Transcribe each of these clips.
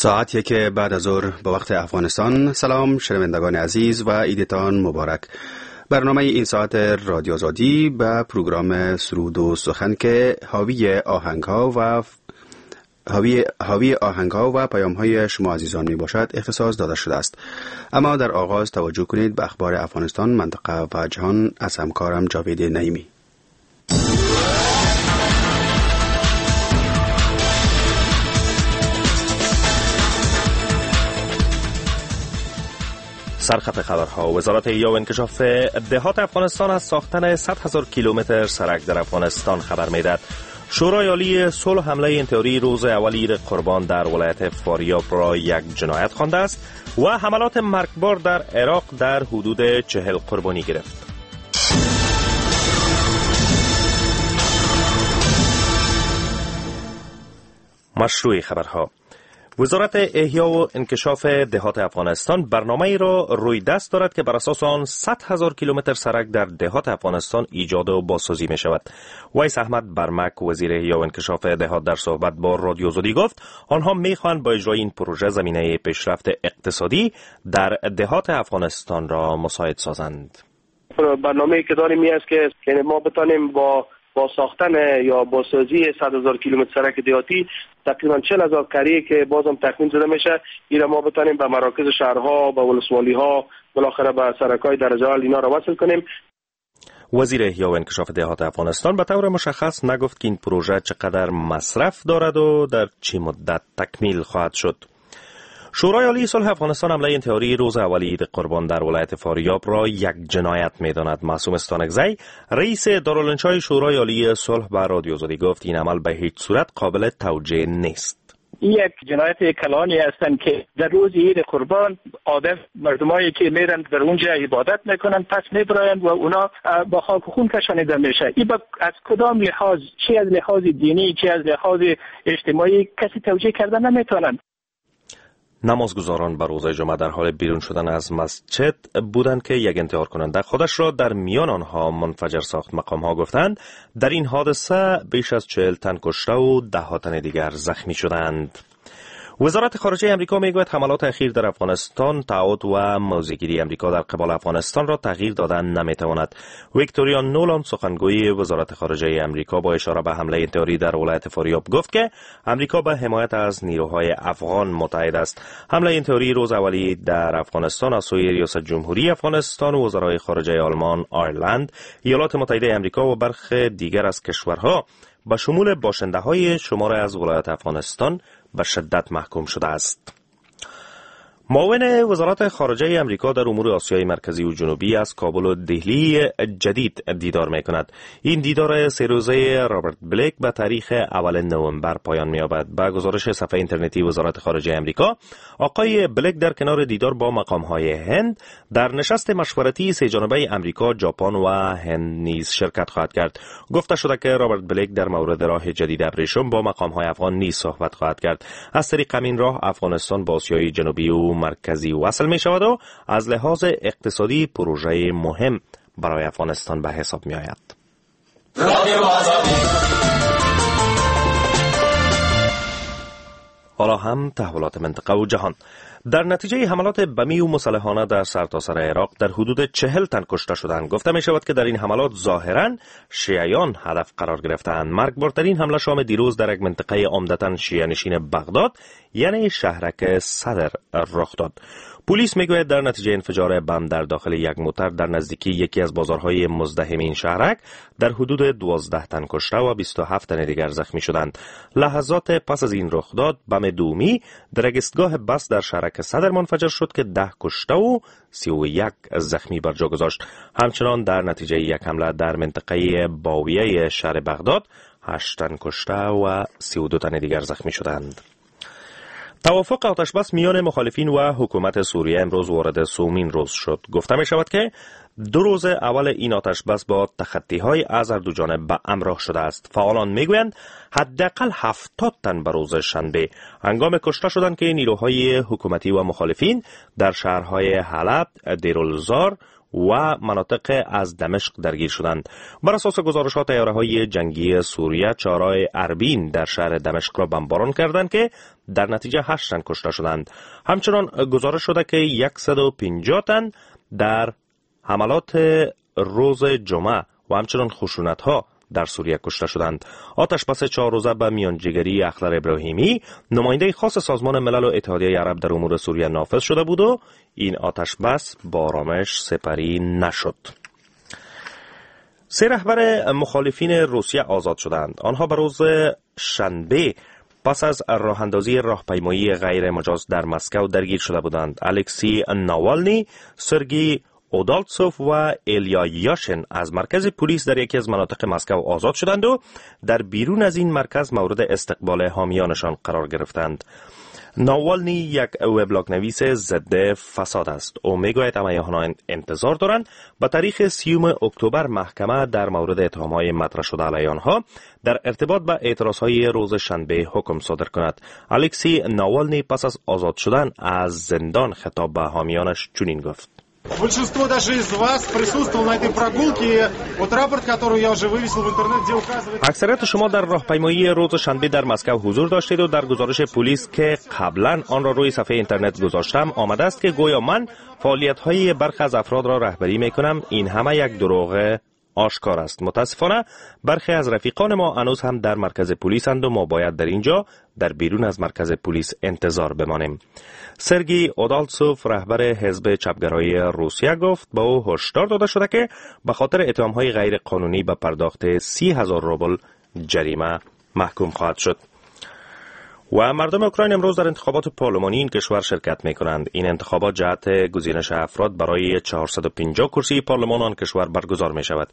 ساعت 1 بعد از ظهر به وقت افغانستان. سلام شنوندگان عزیز و عیدتان مبارک. برنامه این ساعت رادیو آزادی به پروگرام سرود و سخن که حاوی آهنگ‌ها و پیام‌های شما عزیزان می باشد اختصاص داده شده است. اما در آغاز توجه کنید به اخبار افغانستان، منطقه و جهان از همکارم جاوید نعیمی. سرخط خبرها: وزارت احیا و انکشاف دهات افغانستان از ساختن 100,000 کیلومتر سرک در افغانستان خبر می‌دهد. شورای عالی صلح حمله انتحاری روز اول عید قربان در ولایت فاریاب را یک جنایت خوانده است و حملات مرگبار در عراق در حدود 40 قربانی گرفت. مشروع خبرها: وزارت احیا و انکشاف دهات افغانستان برنامه را روی دست دارد که بر اساس آن 100,000 کیلومتر سرک در دهات افغانستان ایجاد و بازسازی می شود. ویس احمد برمک، وزیر احیا و انکشاف دهات، در صحبت با رادیو آزادی گفت آنها می خواهند با اجرای این پروژه زمینه پیشرفت اقتصادی در دهات افغانستان را مساعد سازند. برنامه‌ای که داریم این است که ما بتانیم با ساختن یا بازسازی 100,000 کیلومتر سرک دهاتی تقریبا 40,000 قریه که بازم تخمین زده میشه، این را ما بتانیم به مراکز شهرها، به ولسوالی‌ها، بالاخره به سرک‌های درجه اول اینا را وصل کنیم. وزیر احیا و انکشاف دهات افغانستان به طور مشخص نگفت که این پروژه چقدر مصرف دارد و در چه مدت تکمیل خواهد شد. شورای عالی صلح افغانستان حمله انتحاری روز اول عید قربان در ولایت فاریاب را یک جنایت می‌داند. معصوم استانکزی، رئیس دارالانشای شورای عالی صلح، به رادیو آزادی گفت این عمل به هیچ صورت قابل توجیه نیست. یک جنایت کلانی هستند که در روز عید قربان عادت مردمایی که میرن در اونجا عبادت میکنن پس میبرایند و اونا با خاک و خون کشانیده میشه. این از کدام لحاظ، چه از لحاظ دینی چه از لحاظ اجتماعی، کسی توجیه کردن نمیتونن. نمازگزاران بر روز جمعه در حال بیرون شدن از مسجد بودند که یک انتحار کننده خودش را در میان آنها منفجر ساخت. مقام ها گفتند در این حادثه بیش از 40 تن کشته و 10 تن دیگر زخمی شدند. وزارت خارجه امریکا میگوید حملات اخیر در افغانستان تعهد و موضع‌گیری امریکا در قبال افغانستان را تغییر دادن نمیتواند. ویکتوریا نولان، سخنگوی وزارت خارجه امریکا، با اشاره به حمله انتحاری در ولایت فاریاب گفت که امریکا به حمایت از نیروهای افغان متعهد است. حمله انتحاری روز اولی در افغانستان از سوی ریاست جمهوری افغانستان و وزرای خارجه آلمان، آیرلند، ایالات متحده امریکا و برخی دیگر از کشورها به شمول باشنده‌های شمار از ولایات افغانستان به شدت محکوم شده است. معاون وزارت خارجه امریکا در امور آسیای مرکزی و جنوبی از کابل و دهلی جدید دیدار می کند. این دیدار 3 روزه رابرت بلیک به تاریخ اول نوامبر پایان می یابد. به گزارش صفحه اینترنتی وزارت خارجه امریکا، آقای بلیک در کنار دیدار با مقام های هند در نشست مشورتی سه جانبه امریکا، ژاپن و هند نیز شرکت خواهد کرد. گفته شده که رابرت بلیک در مورد راه جدید ابریشم با مقام های افغان نیز صحبت خواهد کرد. از طریق همین راه افغانستان با آسیای جنوبی و مرکزی وصل می شود و از لحاظ اقتصادی پروژه مهم برای افغانستان به حساب می آید. حالا هم تحولات منطقه و جهان. در نتیجه حملات بمی و مسلحانه در سرتاسر عراق در حدود 40 تن کشته شدند. گفته می شود که در این حملات ظاهراً شیعیان هدف قرار گرفتند. مرگبارترین حمله شام دیروز در یک منطقه عمدتاً شیعه نشین بغداد، یعنی شهرک صدر، رخ داد. پلیس میگوید در نتیجه انفجار بم در داخل یک موتر در نزدیکی یکی از بازارهای مزدحم این شهرک در حدود 12 تن کشته و 27 تن دیگر زخمی شدند. لحظات پس از این رخداد بم دومی در ایستگاه بس در شهرک صدر منفجر شد که 10 کشته و 31 زخمی بر جا گذاشت. همچنان در نتیجه یک حمله در منطقه باویه شهر بغداد 8 تن کشته و 32 تن دیگر زخمی شدند. توافق آتشبس میان مخالفین و حکومت سوریه امروز وارد سومین روز شد. گفته می شود که 2 روز اول این آتشبس با تخطی‌های از هر دو جانب به همراه شده است. فعالان میگویند حداقل 70 تن به روز شنبه هنگام کشته شدند که نیروهای حکومتی و مخالفین در شهرهای حلب، دیرالزار و مناطق از دمشق درگیر شدند. بر اساس گزارشات طیاره‌های جنگی سوریه چهارراه اربین در شهر دمشق را بمباران کردند که در نتیجه 8 تن کشته شدند. همچنان گزارش شده که 150 تن در حملات روز جمعه و همچنان خشونت‌ها در سوریه کشته شدند. آتش بس 4 روزه به میانجیگری اخضر ابراهیمی، نماینده خاص سازمان ملل و اتحادیه عرب در امور سوریه نافذ شده بود و این آتش بس با آرامش سپری نشد. 3 رهبر مخالفین روسیه آزاد شدند. آنها به روز شنبه پس از راه اندازی راهپیمایی غیر مجاز در مسکو درگیر شده بودند. الکسی ناوالنی، سرگی اودالتسوف و ایلیا یاشن از مرکز پلیس در یکی از مناطق مسکو آزاد شدند و در بیرون از این مرکز مورد استقبال حامیانشان قرار گرفتند. ناوالنی یک وبلاگ نویس ضد فساد است. او میگوید همه انتظار دارند به تاریخ 30 اکتبر محکمه در مورد اتهام‌های مطرح شده علیه آنها در ارتباط به اعتراض‌های روز شنبه حکم صادر کند. الکسی ناوالنی پس از آزاد شدن از زندان خطاب به حامیانش چنین گفت: Большинство даже из вас присутствовало на этой прогулке. Вот рапорт, который я уже вывесил в интернет, где указывается... اکثریت شما در راهپیمایی روز شنبه در مسکو حضور داشتید و در گزارش پلیس که قبلا آن را روی صفحه اینترنت گذاشتم آمده است که گویا من فعالیت‌های برخی از افراد را رهبری می‌کنم. این همه یک دروغ آشکار است. متاسفانه برخی از رفیقان ما هنوز هم در مرکز پلیسند و ما باید در اینجا در بیرون از مرکز پلیس انتظار بمانیم. سرگی اودالتسوف، رهبر حزب چپگرای روسیه، گفت با او هشدار داده شده که به خاطر اتهام‌های غیر قانونی به پرداخت 30,000 روبل جریمه محکوم خواهد شد. و مردم اوکراین امروز در انتخابات پارلمانی این کشور شرکت می کنند. این انتخابات جهت گزینش افراد برای 450 کرسی پارلمان آن کشور برگزار می شود.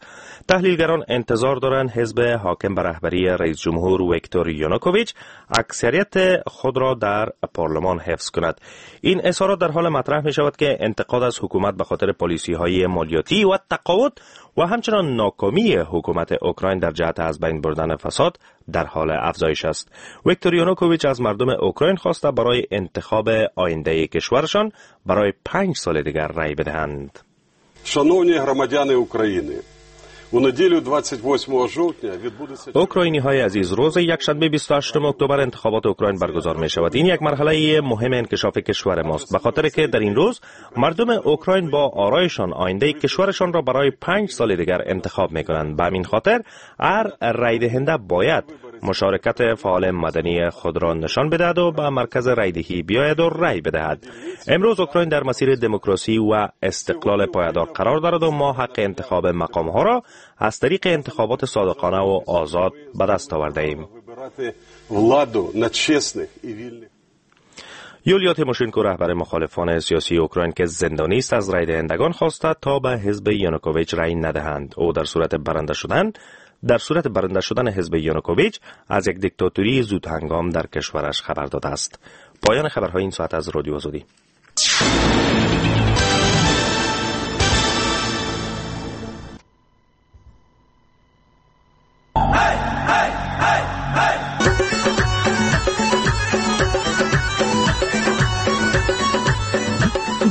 تحلیلگران انتظار دارند حزب حاکم به رهبری رئیس جمهور ویکتور یانوکوویچ اکثریت خود را در پارلمان حفظ کند. این اظهارات در حال مطرح می شود که انتقاد از حکومت به خاطر پالیسی های مالیاتی و تقاعد و همچنان ناکامی حکومت اوکراین در جهت از بین بردن فساد در حال افزایش است. ویکتور یانوکوویچ از مردم اوکراین خواسته برای انتخاب آینده کشورشان برای 5 سال دیگر رأی بدهند. شنوני громадяни України, у неділю 28 жовтня відбудеться اوکراینی های عزیز، روز یکشنبه 28 اکتبر انتخابات اوکراین برگزار می شود. این یک مرحله مهم انکشاف کشور ماست، به خاطر که در این روز مردم اوکراین با آرایشان آینده کشورشان را برای 5 سال دیگر انتخاب می کنند. به همین خاطر هر رای دهنده باید مشارکت فعال مدنی خود را نشان بدهد و به مرکز رایدهی بیاید و رای بدهد. امروز اوکراین در مسیر دموکراسی و استقلال پایدار قرار دارد و ما حق انتخاب مقام ها را از طریق انتخابات صادقانه و آزاد به دست آورده ایم. یولیا تیموشنکو، رهبر مخالفان سیاسی اوکراین که زندانی است، از رای دهندگان خواسته تا به حزب یانوکوویچ رای ندهند. او در صورت برنده شدن حزب یانوکوویچ از یک دیکتاتوری زود هنگام در کشورش خبر داده است. پایان خبرهای این ساعت از رادیو آزادی.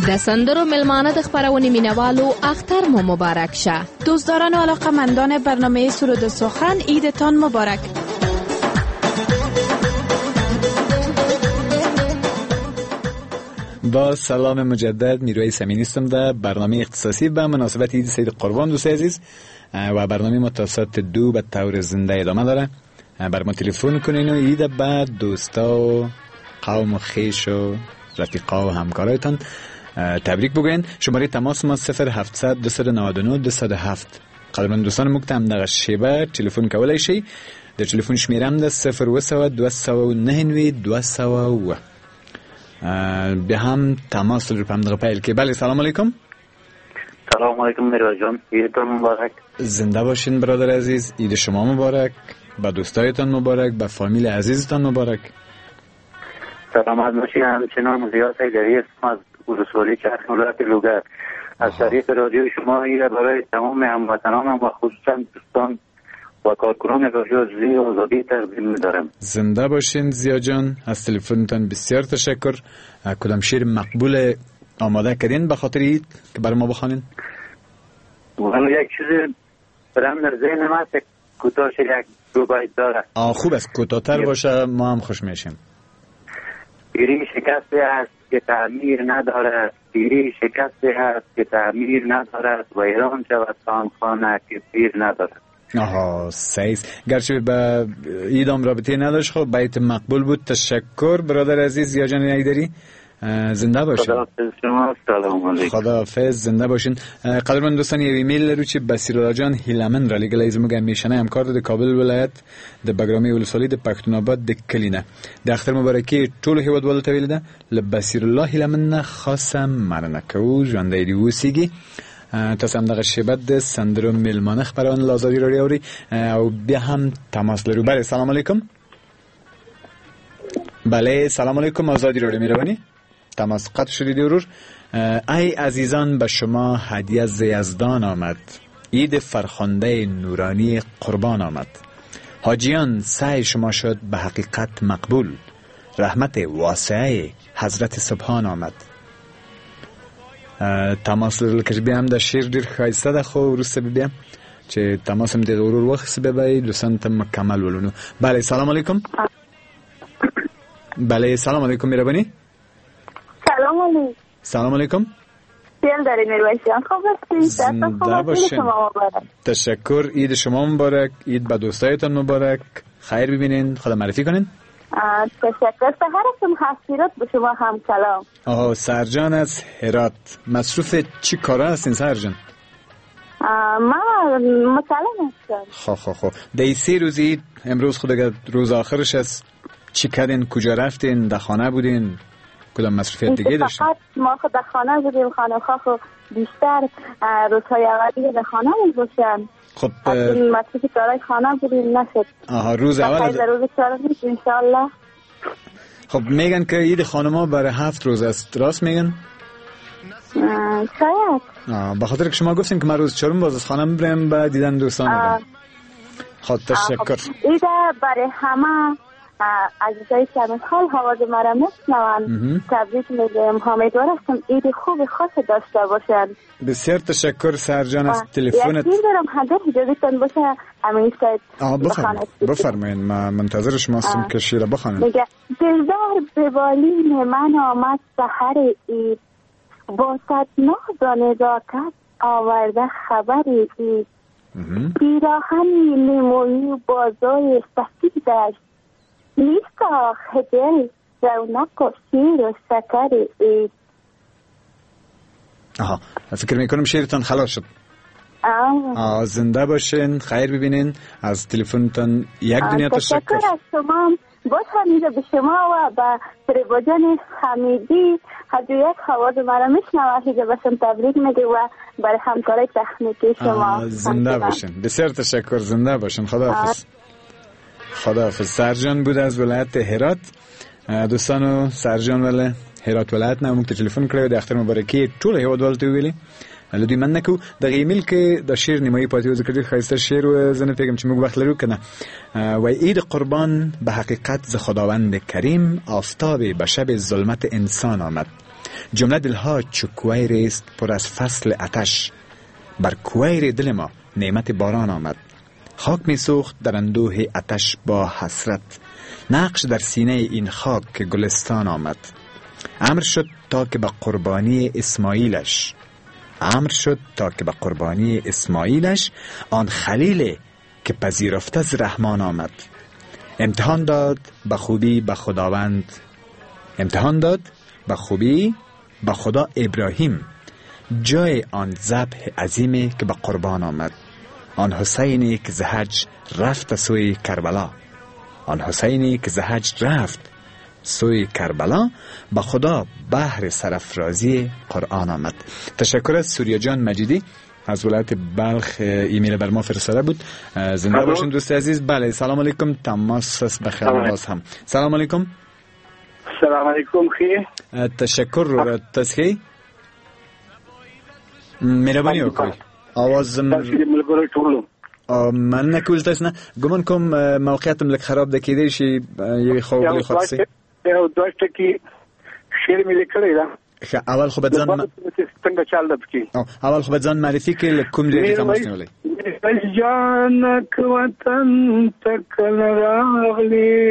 د سندرو ملمانه د خپرونې مینوالو اختر مو مبارک شه. دوستداران و علاقه‌مندان برنامه سرود سخن، عیدتان مبارک. با سلام مجدد، میرویس امینی هستم در برنامه اختصاصی به مناسبت عید سعید قربان. دوست عزیز، و برنامه ما تا ساعت 2 به طور زنده ادامه داره. بر ما تلفن کنین و عید به دوستا و قوم و خویش و رفیقا و همکارایتان تبریک بگوین. شماره تماس ما 0700 299 207. قدرمن دوستان موږ ته همدغه شیبه تلفن کولای شئ. د تلفن شمېره هم ده 0700 299 207. بیا هم تماس رو په همدغه پیل کې. بله، سلام علیکم. سلام علیکم میرویس جان، عیدتون مبارک. زنده باشین برادر عزیز، عید شما مبارک، به دوستایتان مبارک، به فامیل عزیزتان مبارک. سلامت باشین. همچنان زیاد سیدری هستم از ولسوالی چرخ ولایت لوگر. از طریق رادیو شما ایره برای تمام هموطنانم و خصوصا دوستان و کارکنان رادیو آزادی تقدیم می‌دارم. زنده باشین زیا جان، از تلفنتان بسیار تشکر. کدام شعر مقبول آماده کردین به خاطر عید که برای ما بخوانین؟ والا یک چیز برام در ذهن ما است، کوتاه یک دو بیت داره. خوب است، کوتاه‌تر باشه ما هم خوش میشیم. پیری شکسته است که تعمیر ندارد، پیری شکسته است که تعمیر ندارد، ویران شود آن خانه که پیر ندارد. آها صحیح، گرچه به ایدام رابطه نداشت، خب بیت مقبول بود. تشکر برادر عزیز ضیا جان حیدری، زنده باشین. خداحافظ شما، سلام علیکم. خداحافظ، زنده باشین. قدرمن دوستان، یو ایمیل لرو چې بصیر الله جان هیلمن را لېږلی، زموږ همیشنی همکار د کابل ولایت د بګرامې ولسوالۍ د پښتون آباد د کلي نه. د اختر مبارکي ټولو هیوادوالو ته ویلې ده. له بصیر الله هیلمن نه خاصه مننه کوو، ژوندی دې اوسېږي. تاسو هم دغه شیبه د سندرو میلمانه خپرونه له ازادي راډیو اورئ او بیا هم تماس لرو. بله سلام علیکم. بله سلام علیکم، ازادي راډیو مهرباني. تماس قطع شدید ورور. ای عزیزان، به شما هدیه ز یزدان آمد، عید فرخنده نورانی قربان آمد. حاجیان سعی شما شد به حقیقت مقبول، رحمت واسعه حضرت سبحان آمد. تماس لرل که بیا هم د شعر ډیر ښایسته ده، خو وروسته به بیا چې تماس هم د ورور واخیست بیا به یې دوستان ته مکمل ولونو. بله سلام علیکم. بله سلام علیکم، مهرباني. سلام علیکم. سلام علیکم. سیل داری میرویس جان، خوب هستی؟ زنده باشین. تشکر، عید شما مبارک، عید به دوستایتان مبارک. خیر ببینین، خدا معرفی کنین. تشکر، سحر هستم هرات، به شما هم سلام. آها سرجان از هرات، مصروف چی کاره هستین سرجان؟ من متعلم هستم. خب خب خب، در 3 روز عید، امروز خود روز آخرش است، چی کردین؟ کجا رفتین؟ در خانه بودین؟ کدام مصروفیت دیگه داشتین؟ فقط ما خود در خانه بودیم، خانه خو بیشتر روزهای اولی در خانه بودیم. خب مصروف کارهای خانه بودیم نشد. آها روز اول در روز چهارم ان شاء الله. خب میگن که عید خانم‌ها برای 7 روز است، راست میگن؟ شاید. به خاطر که شما گفتین که من روز چهارم باز از خانه برم به دیدن دوستان برم. خب تشکر. عید برای همه عزیزایی که حال آواز مرا میشنوند تبریک میگم، امیدوار هستم عید خوب خاص داشته باشند. بسیار تشکر سرجان از تلفنت. یکی دارم هدر اجازهتان باشه امین سید. بفرمایین، من منتظر شما هستم که شعر بخوانید. میگه دلدار به بالین من آمد سحر عید، با صد ناز و نزاکت آورده خبر عید، پیراهنی لیمویی بازوی سفیدش، نیست آخ دل رونق و شیر و شکر عید. آها فکر میکنم شعرتان خلاص شد. زنده باشین، خیر ببینین. از تلفنتان یک دنیا تشکر. تشکر از شما. باز همیده به شما و به فریبا جان حمیدی هر یک آواز مرا میشنوه هیچ باشم تبریک میگه و برای همکارای تکنیکی شما. زنده باشین، بسیار تشکر، زنده باشین. خداحافظ. خداحافظ. سرجان بود از ولایت هرات. دوستانو سرجان ولی هرات ولایت نه موږ ته تلفن کړی د اختر مبارکي ټول هیوادوالو ته ویلي. له دوی مننه کوو. دغه ایمیل کې د شعر نیمایي پاتې و، ځکه ډېر ښایسته شعر و، زه نه پوهېږم چې موږ وخت لرو که نه. وایي عید قربان به حقیقت ز خداوند کریم، آفتاب به شب ظلمت انسان آمد، جمله دلها چو کویر است پر از فصل آتش، بر کویر دل ما نعمت باران آمد، خاک می سوخت در اندوه آتش با حسرت، نقش در سینه این خاک که گلستان آمد، امر شد تا که به قربانی اسماعیلش، امر شد تا که به قربانی اسماعیلش، آن خلیل که پذیرفته از رحمان آمد، امتحان داد به خوبی به خداوند، امتحان داد به خوبی به خدا ابراهیم، جای آن ذبح عظیمی که به قربان آمد، آن حسینی که ز حج رفت سوی کربلا، آن حسینی که ز حج رفت سوی کربلا، به خدا بهر سرافرازی قرآن آمد. تشکر از سوریا جان مجیدی از ولایت بلخ ایمیل بر ما فرستاده بود. زنده باشین دوست عزیز. بله سلام علیکم. تماس است بخیر باز هم. سلام علیکم. سلام علیکم. خیر تشکر رو تسخی مهرباني وکړئ. آواز مننه کول تاسو نه ګمان کوم موقعیت هم لږ خراب ده، کېدای شي یوې خوا بلې خوا څه یو دوه ټکي شعر مې لیکلی ده. ښه، اول خو به ځان څنګه چل ده پکې؟ اول خو به ځان معرفي کړئ، له کوم ځای دې تماس نیولی؟ میرویس جان که وطن ته کله راغلې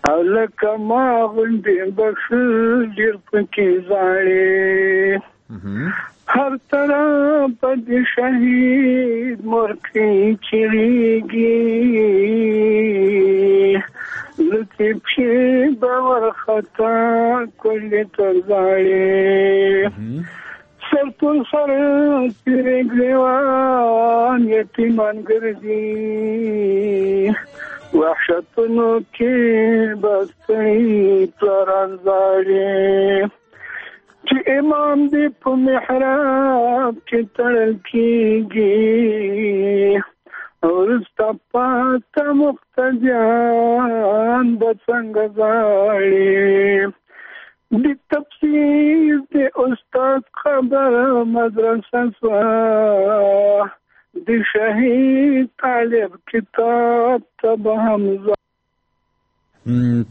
او لکه ما غوندې به ښه ډېر پکې ژاړې، هر طرف د شهید مرکې چیغېږي، لکه پښې به ورخطا کلي ته ژاړې، سر پر سر تېرې ګرېوان یتیمان ګرځي، وحشتونو کې به ستړي پلاران ژاړي، چې امام دې په محراب کې تړل کېږي، وروسته پاته مقتدیان به څنګه ژاړي، د تفسیر د استاد خبر مدرسه سوه، د شهید طالب کتاب ته به هم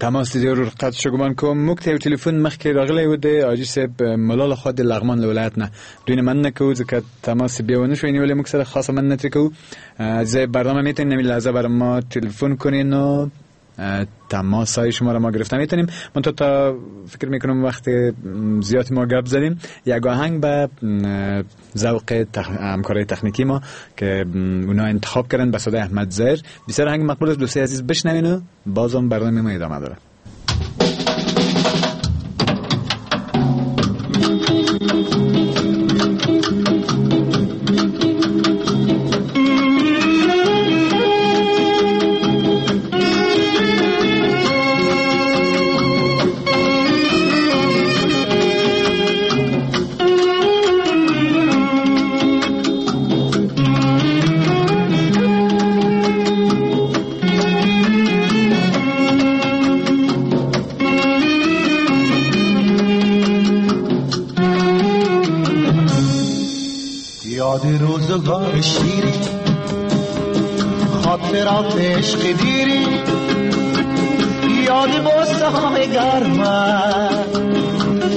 تماس دې ورور قطع شو. ګمان کوم موږ ته یو ټلیفون مخکې راغلی و د حاجي صاحب ملا لخوا د لغمان له ولایت نه. دوی نه مننه کوو ځکه تماس بیا ونه شو نیولی، موږ سره خاصه مننه ترې کوو. عزیزای برنامه میتونین همین لحظه برای ما تلفن کنین و تماس های شما را ما گرفته میتونیم. من تا فکر میکنم وقت زیاد ما گپ زدیم، یک آهنگ به ذوق همکارای تکنیکی ما که اونا انتخاب کردن به صدای احمد ظاهر، بسیار آهنگ مقبول است. دوستای عزیز بشنوین و بازم برنامه ما ادامه داره. روزگار شیری، خاطرات عشق دیری، یاد بوسه های گرم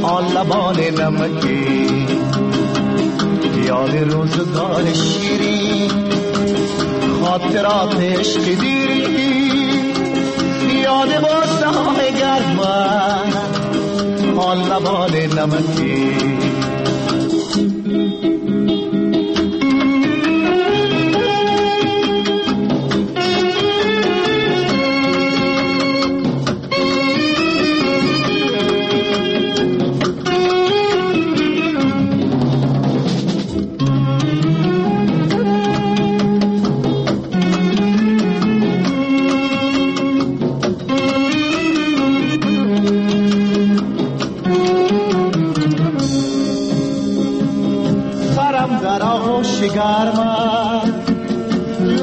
آن لبان نمکی، یاد روزگار شیری، خاطرات عشق دیری، یاد بوسه های گرم آن لبان نمکی.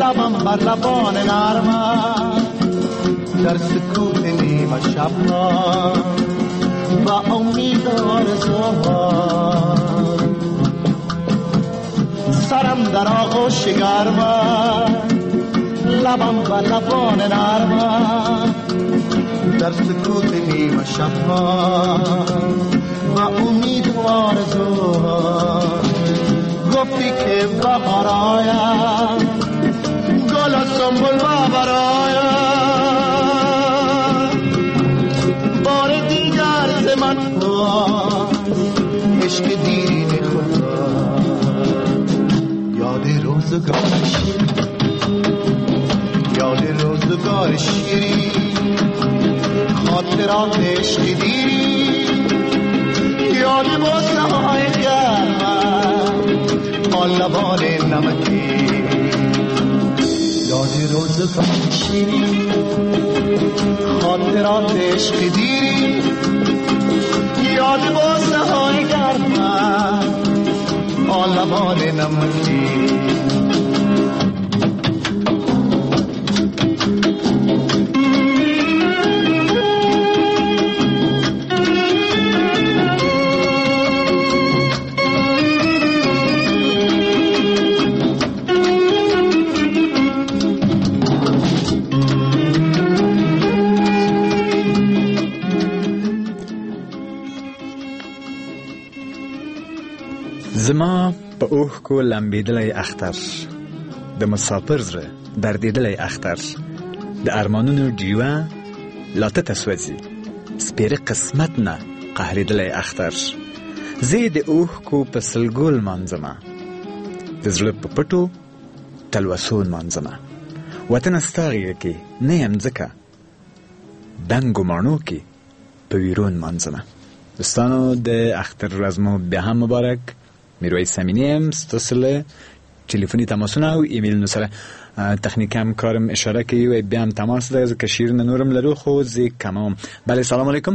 لبم بر لبان نرمت، در سکوت نیمه شب با امید آرزوها، سرم در آغوش گرمت، لبم بر لبان نرمت، در سکوت نیمه شب با امید آرزوها. گفتی که بهار آید، گل و سنبل براید، بار دیگر ز من عشق دیرین خدا، یاد روزگار شیرین، یاد روزگار شیرین، خاطرات عشق دیرین، یاد بوسه های گرم آن لبان نمکی، یاد روزگار شیرین، خاطرات عشق دیرین، یاد بوسه های گرم آن لبان نمکی. زما په اوښکو لمبېدلی اختر، د مسافر زړه دردېدلی اختر، د ارمانونو ډیوه لا تته سوځي، سپېره قسمت نه قهرېدلی اختر. زه یې د اوښکو په سلګو لمانځمه، د زړه په پټو تلوسو لمانځمه. وطنه ستا غېږه کې نه یم ځکه، دنګو ماڼو کې په ویرو نمانځمه. دوستانو د اختر ورځ مو بیا هم مبارک. میرویس امینی یم ستاسو له ټلیفوني تماسونه او ایمیلونو سره. تخنیک همکارم اشاره کوي وایي بیا هم تماس ده، ځکه شعرونه نورم لرو خو زه کموم. بله سلام علیکم.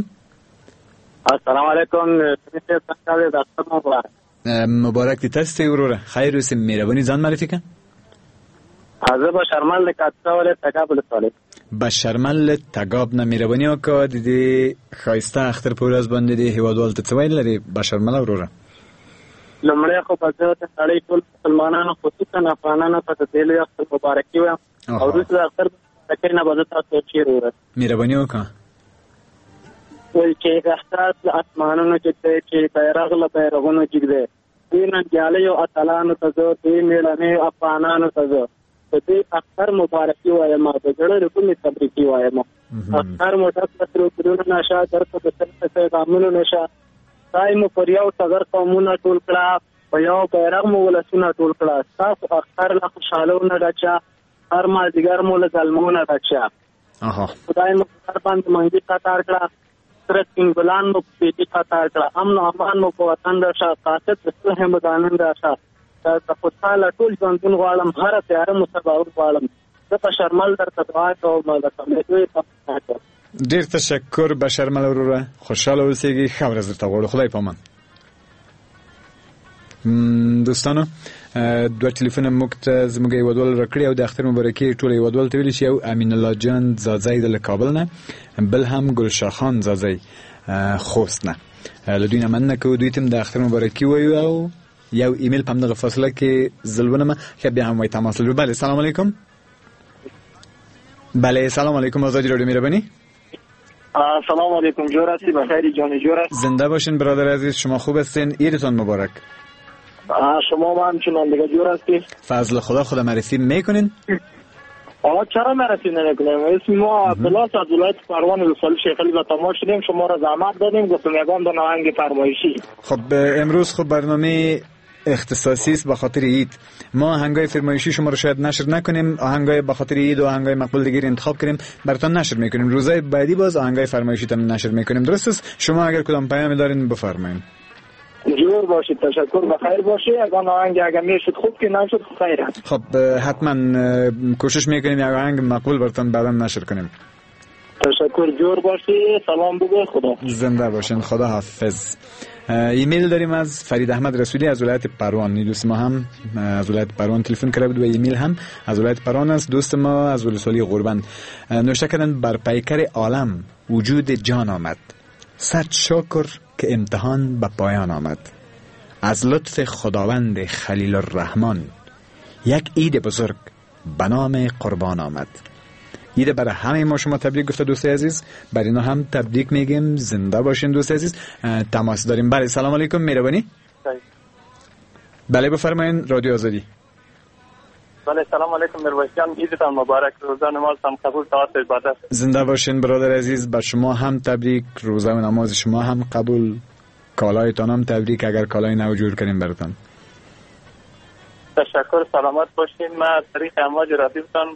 السلام علیکم. مبارک دي تاسو ته وروره، خیر اوسې. مهرباني ځان معرفي که. زه بشرمل له کاپیسا ولایت تګاب ولسوالۍ. بشرمل له تګاب نه، مهرباني وکړه د دې ښایسته اختر په ورځ باندې د هیوادوالو ته څه ویل لرې بشرمله وروره؟ لومړی خو به زه د نړۍ ټول مسلمانانو خصوصا افغانانو ته د دې لوی اختر مبارکي وایم، او وروسته د اختر مبارکۍ نه به زه تاسو ته شعر ووایم. مهرباني وکړه. وایي چې احساس له اسمانونو جګ دی، چې بیرغ له بیرغونو جګ دی، دې ننګیالیو اتلانو ته زه، دې مېړنیو افغانانو ته زه د دې اختر مبارکي وایم، د زړه له کومې تبریکي وایم. اختر مو ډک له سرو ګلونو نه شه، درته د سر پیغامونو نه شه، خدای مو پر یو ټغر قومونه ټول کړه، په یو بیرغ مو ولسونه ټول کړه، ستاسو اختر له خوشحالو نه ډک شه، هر مازدیګر مو له زلمو نه ډک شه. خدای مو په سر باندې منګي قطار کړه، سره سپین ګلان مو په پېټي قطار کړه، امن او امان مو په وطن راشه، قاصد د صلح مو دانن راشه، درته خوشحاله ټول ژوندون غواړم، هره تیاره مو سباوون غواړم. زه په شرمل درته دعا کوم، د سمېدو یې تمنا کوم. ډېر تشکر بشرمل وروره، خوشحاله اوسېږئ، ښه ورځ درته غواړو، خدای پامان. دوستانو دوه ټلیفونه موږ ته زموږ هیوادوال راکړي او د اختر مبارکي ټول هیوادوال ته ویلي چې یو امین الله جان ځاځی د له کابل نه، بل هم ګلشاه خان ځاځی خوست نه. له دوی نه مننه کوو، دوی ته هم د اختر مبارکي وایو. او یو ایمیل په همدغه فاصله کې زه لولم، ښه بیا هم وایي تماس لرو. بله سلام علیکم. بله سلام علیکم، آزادی رادیو مهربانی. سلام علیکم، جور هستی؟ بخیر جان، جور هستی؟ زنده باشین برادر عزیز، شما خوب هستین؟ عیدتان مبارک. شما همچنان دیگه جور هستی؟ فضل خدا. خدا معرفی میکنین؟ آقا چرا معرفی نمیکنیم؟ اسم ما عبدالله از ولایت پروان ولسوالی شیخ علی به تماس شدیم، شما را زحمت دادیم، گفتم یگان دانه آهنگ فرمایشی. خب امروز خب برنامه اختصاصی است به خاطر عید. ما آهنگای فرمایشی شما رو شاید نشر نکنیم، آهنگای به خاطر عید و آهنگای مقبول دیگه انتخاب کنیم براتون نشر میکنیم. روزای بعدی باز آهنگای فرمایشی تون نشر میکنیم. درست است؟ شما اگر کدام پیام دارین بفرمایید. جور باشید، تشکر، بخیر باشید. اگر آهنگ اگر میشد خوب، که نشد خیر است. خب حتما کوشش میکنیم یک آهنگ مقبول براتون بعدا نشر کنیم. تشکر، جور باشی، سلام بگو، خدا زنده باشین، خدا حافظ. ایمیل داریم از فرید احمد رسولی از ولایت پروان. دوست ما هم از ولایت پروان تلفن کرده بود و ایمیل هم از ولایت پروان است. دوست ما از ولسوالی غوربند نوشته کردن بر پیکر عالم وجود جان آمد، صد شکر که امتحان به پایان آمد، از لطف خداوند خلیل الرحمن یک عید بزرگ به نام قربان آمد. عید برای همه ما شما تبریک گفته دوست عزیز، برای اینا هم تبریک میگیم. زنده باشین دوست عزیز. تماس داریم. بله سلام علیکم، مهربانی. بله بفرمایین، رادیو آزادی. بله سلام علیکم میرویس جان، عیدتان مبارک، روزه نمازتان قبول، طاعت عبادت. زنده باشین برادر عزیز، بر شما هم تبریک، روزه و نماز شما هم قبول، کالایتان هم تبریک اگر کالای نو جور کنیم براتان. تشکر، سلامت باشین. ما از طریق امواج رادیوتان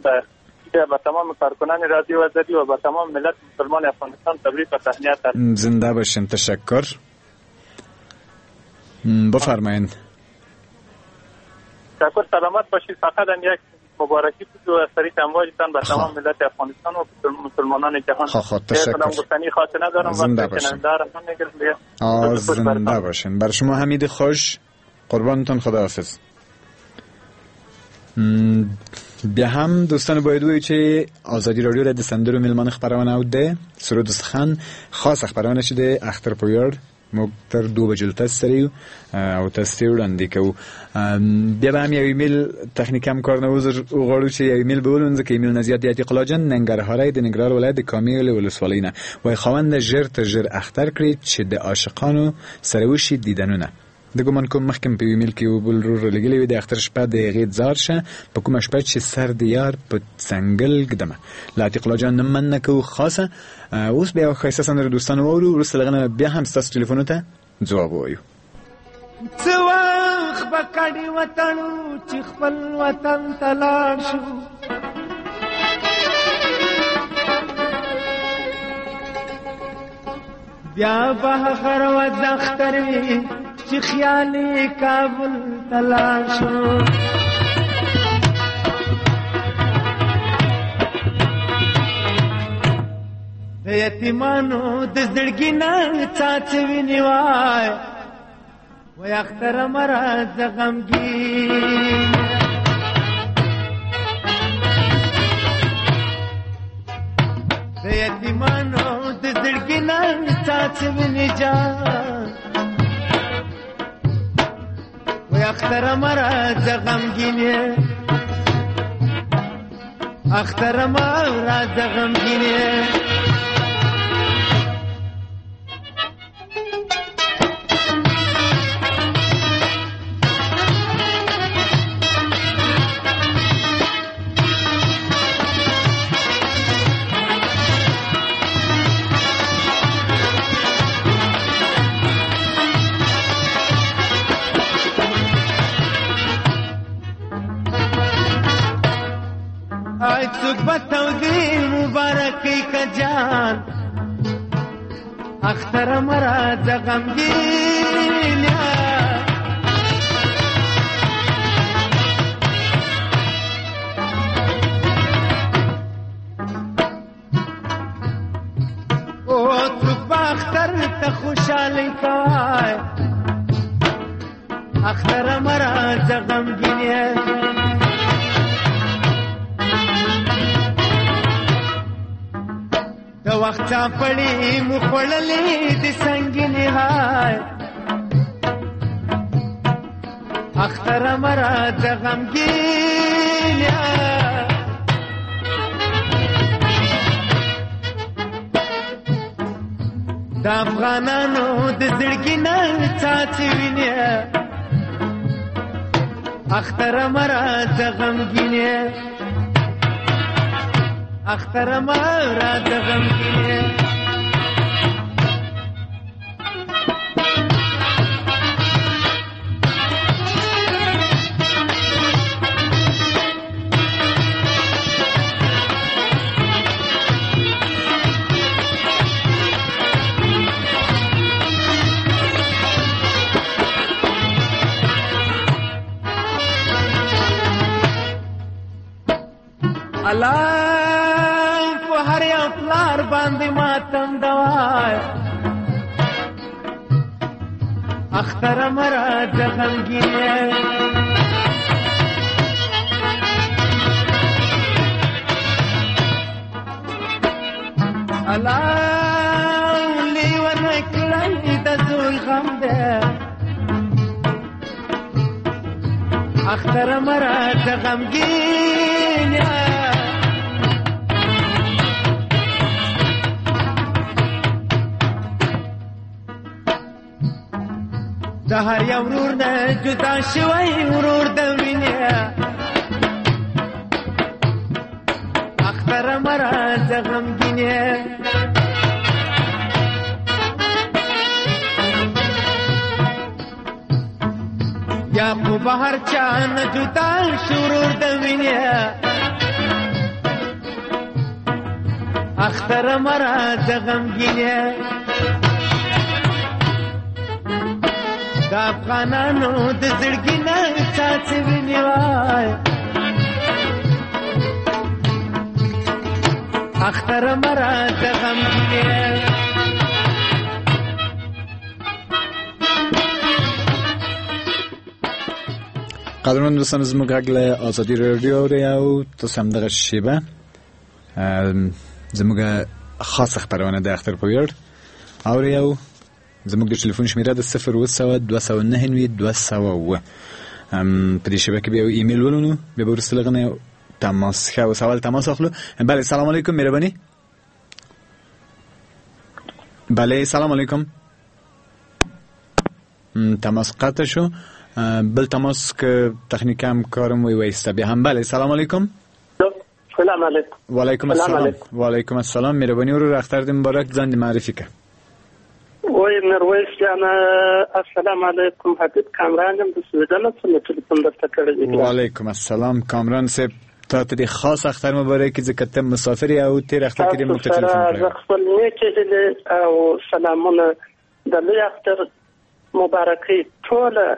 به تمام کارکنان رادیو آزادی و به تمام ملت مسلمان افغانستان تبریک و تهنیت. زنده باشین، تشکر. بفرمایید. تشکر، سلامت باشید. فقط هم یک مبارکی بود و از طریق امواجتان به تمام ملت افغانستان و مسلمانان جهان. خب تشکر. گفتنی خاطر ندارم. زنده باشین. زنده باشین. بر شما حمید خوش، قربانتون، خداحافظ. بیا هم دوستان باید ووایو چې ازادي راډیو د سندرو میلمانه خپرونه او د سرود سخن خاصه خپرونه چې د اختر په ویاړ موږ تر 2 بجو تاسو سره یو او تاسو ته وړاندې کوو. بیا به هم یو ایمیل تخنیک هم کار نه عذر وغواړو چې یو ایمیل به ولولم، ځکه ایمیل نه زیات دی. عتیق الله جان ننګرهاری د ننګرهار ولایت د کامیل ولسوالۍ نه وایي خاوند ژر تر ژر اختر کړي چې د عاشقانو سره وشي دیدنونه. د ګمان کوم مخکې په ایمیل کې یو بل ورور رالیږلی وي، د اختر شپه د هغې ځار شه په کومه شپه چې سر د یار په څنګل ږدمه. له عتیق الله جان نه مننه کوو خاصه. اوس بیا یوه ښایسته سندره دوستانو واورو، وروسته له هغه نه بیا هم ستاسو ټلیفونو ته ځواب ووایو. څه وخت به کډې وتړو چې خپل وطن ته لاړ شو، بیا به هغه ورځ اختر وي چې خیال یې کابل ته لاړ شو. د یتیمانو د زړګي نه څاڅي وینې وای، وای اختر مه راځه غمګین. د یتیمانو د زړګي نه څاڅي وینې جان، وای اختر مه راځه غمګین، اختر مه راځه غمګین. څوک به تودې مبارکۍ که جان، اختر مه راځه غمګین. او څوک به اختر ته خوشحالۍ کوای، اختر مه راځه غمګین. د وخت چاپړې مو خوړلې د سنګینې های، اختر مه راځه غمګین. د افغانانو د زړګي نه څاڅي وینې، اختر مه راځه غمګین، اختر مه راځه غمګین. الله په هر یو پلار باندې ماتم دوای، اختر مه راځه غمګین. الله لیونی کړی د زوی غم دی، اختر مه راځه غمګین. د هر یو ورور نه جدا شوی ورور د وینې، اختر مه راځه غمګین. یعقوب هر چا نه جدا شو ورور د وینې، اختر مه راځه غمګین. د افغانانو د زړګي نه څاڅي وینې وای، اختر مه راځه غمګین. قدرمن دوستان، زموږ غږ له ازادي راډیو اورئ او تاسو هم دغه شېبه زموږ خاصه خپرونه د اختر په ویاړ اورئ او زموږ د ټلیفون شمیره د 0700 299 207. په دې شېبه کې بیا یو ایمیل ولولو، بیا به وروسته له هغه نه تماس ښه اوس اول تماس اخلو. بله، سلام علیکم، مهرباني. بله، سلام علیکم. تماس قطع شو. بل تماس که تخنیک همکارم وی وایسته بیا هم. بله سلام علیکم. سلام علیکم. وعلیکم السلام. وعلیکم السلام. مهرباني ورور، اختر دې مبارک، ځان دې معرفي که. وای میرویس جانه السلام علیکم، حبیب کامران یم د سویډن څخه ټلیفون درته کړی دی. وعلیکم السلام کامران صاحب، تا ته دې خاص اختر مبارک، ځکه ته مسافر یې او تېر اختر کې دې موږ ته ټلیفون کړی. زه خپل نیکې هیلې او سلامونه د لوی اختر مبارکۍ ټوله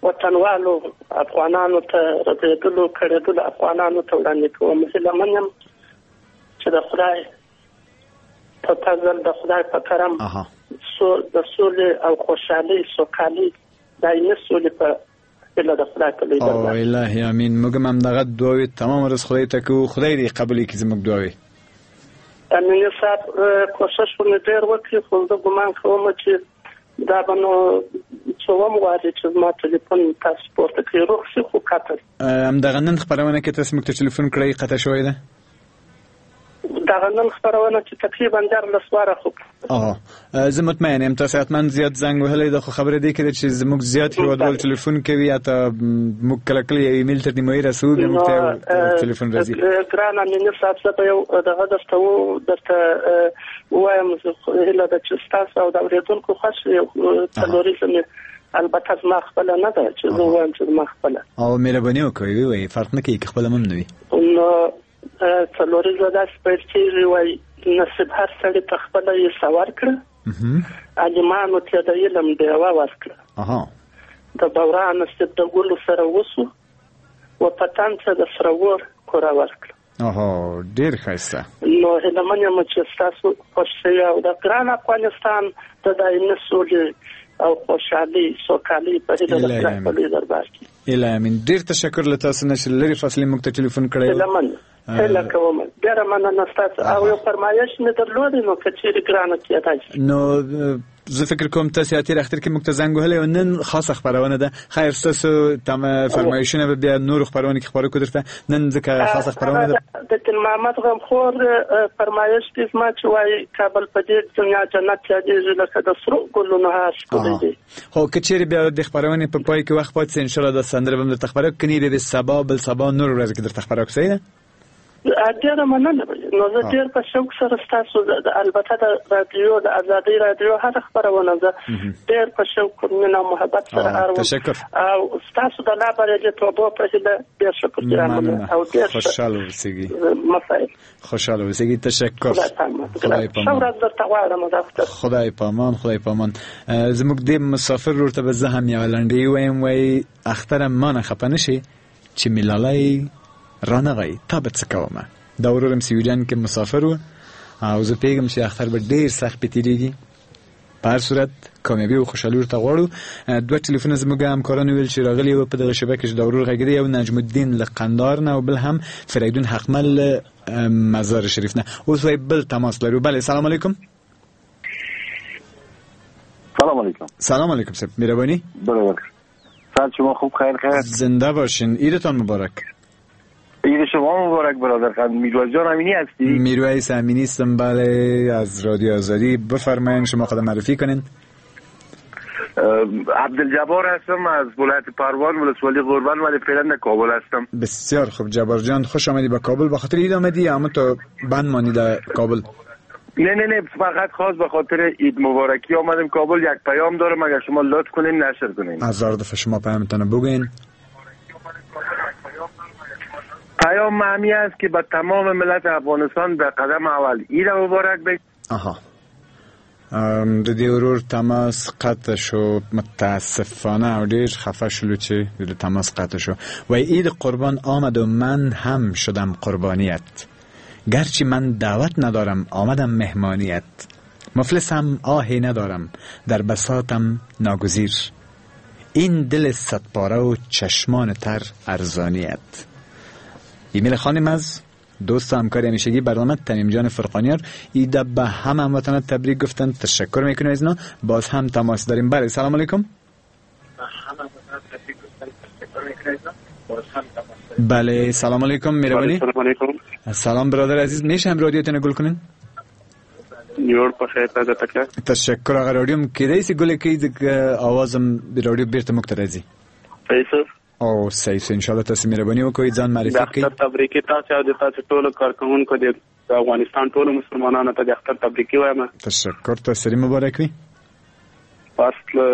وطنوالو افغانانو ته، رسېدلو کړېدلو افغانانو ته وړاندې کوم. هیله من یم چې د خدای په فضل، د خدای په کرم د سولې او خوشحالۍ، سوکالۍ، دایمي سولې په هیله د خدای په لوی دربار. او الهي امین. موږ هم همدغه دعاوې تمام ورځ خدای ته کوو، خدای دې قبولې کړي زموږ دعاوې. امیني صاحب کوشش خو مې ډېر وکړي، خو زه ګمان کوم چې دا به نو څوم وارې چې زما ټلیفون تاسو پورته کړئ، روغ شي خو قطع. همدغه نن خپرونه کې تاسو موږ ته ټلیفون کړی، قطع شوی ده؟ دغه نن خپرونه چې تقریبا 13 واره خو. زه مطمئن یم تاسو حتما زیات زنګ وهلی ده، خو خبره دې کړې چې زموږ زیات هیوادوال ټلیفون کوي، حتی موږ کله کله یو ایمیل تر نیمایي رسوو، بیا موږ ته ټلیفون راځي. ګران امیني صاحب، زه به یو دغه درته ووایم، هیله ده چې ستاسو او د اورېدونکو خوښ یو څلوریزه مې البته زما خپله نه ده چې زه ووایم چې زما خپله. او مهرباني وکړئ ووایئ، فرق نه کوي که خپله هم نه وي. نو څلوریزه داسې پیل کېږي، وایي نصیب هر سړي ته خپله حصه ورکړه، عالمانو ته د علم ډېوه ورکړه، د بورا نصیب د ګلو سره وسو و په تن ته د سره ور کوره ورکړه. ډېر ښایسته. نو هیله من یم چې ستاسو خوښ شي او د ګران افغانستان د دایمي سولې او خوشحالۍ، سوکالۍ په هیله د خدای په لوی دربار کې. الهي امین. ډېر تشکر له تاسو نه چې لرې فاصلې موږ ته ټلیفون کړی. هیله من هیله کوم، ډېره مننه ستاسو. او یو فرمایش مې درلود، نو که چېرې ګرانه کېدای شي. نو زه فکر کوم تاسو تېر اختر کې موږ ته زنګ وهلی او نن خاصه خپرونه ده. خیر ستاسو فرمایشونه به بیا نورو خپرونو کې خپاره کړو درته، نن ځکه خاصه خپرونه ده. د دین محمد غمخور فرمایش دی زما چې وایي کابل په دې دنیا جنت یادېږي لکه د سرو ګلونو هار ښکلی دی. خو که چېرې بیا د خپرونې په پای کې وخت پاتې شي انشاءالله دا سندره به هم درته خپره کړو، کني به سبا بل سبا نورو ورځو کې درته خپره کړو. صحیح ده؟ ډېره مننه. نو زه ډېر په شوق سره ستاسو البته د رادیو، د ازادۍ رادیو هره خپرونه زه ډېر په شوق، مینه او محبت سره اورم. تشکر. او ستاسو د لا بریالیتوبو په هیله ډېر شکر ګرانه او ډېر خوشحاله اوسېږئ. مسایل خوشحاله اوسېږئ. تشکر. خدای پامان. ښه ورځ درته غواړم. خدای پامان. خدای پامان. زموږ دې مسافر ورور ته به زه هم یوه لنډۍ ووایم، وایي اختره ما نه خفه نه شي چې مې لالی رانغی تا به څه کومه. دا ورور هم سویډن کې مسافر و او زه پوهېږم چې اختر به ډېر سخت پې تېرېږي. په هر صورت کامیابي او خوشحالي ورته غواړو. دوه ټلیفونه زموږ همکارانو ویل چې راغلي وو په دغه شبکه کې چې دا ورور غږېدی، یو نجم الدین له قندهار نه او بل هم فریدون حقمل له مزار شریف نه. اوس وایي بل تماس لرو. بله سلام علیکم. سلام علیکم. سلام علیکم صاحب، مهربانی. برادر سلام، شما خوب؟ خیر خیر، زنده باشین. عیدتان مبارک. عید شما مبارک برادر خان. میرویس جان امینی هستی؟ میرویس امینی هستم، بله، از رادیو آزادی. بفرمایین شما خود معرفی کنین. عبدالجبار هستم از ولایت پروان، ولسوالی قربان، ولی فعلا در کابل هستم. بسیار خوب جبار جان، خوش آمدی به کابل. به خاطر عید آمدی یا هم تو بند مانی در کابل؟ نه نه نه، فقط خاص به خاطر عید مبارکی آمدیم کابل. یک پیام دارم اگر شما لطف کنین نشر کنین. هزار دفعه شما پیامتان بگوین. پیام معنی است که به تمام ملت افغانستان در قدم اول عید مبارک بگم. آها، د دې ورور تماس قطع شو متاسفانه او ډیر خفه شلو چې د تماس قطع شو. وای عید قربان آمد و من هم شدم قربانیت، گرچه من دعوت ندارم آمدم مهمانیت، مفلسم آهی ندارم در بساطم ناگزیر، این دل صد پاره و چشمان تر ارزانیت. ایمیل خانم از دوست و همکار همیشگی برنامه تمیم جان فرقانیار ایده به همه هموطنان تبریک گفتن. تشکر میکنیم از اینا. باز هم تماس داریم. بله سلام علیکم. بله سلام علیکم. میربانی. سلام علیکم. سلام برادر عزیز، میشه هم رادیوتون گل کنین؟ جوړ په خیر ته تکړه. تشکر. هغه راډیو هم کېدای سي ګلې کوي، اواز هم د راډیو بیرته موږ ته راځي. صحیح سر. او صحیح سر، ان شاء الله تاسو مهرباني وکړئ، ځان معرفي کړئ. د اختر تبریکې تاسو او د تاسو ټولو کارکوونکو، د افغانستان ټولو مسلمانانو ته د اختر تبریکې وایم. تشکر، تاسو مبارک وي. پس له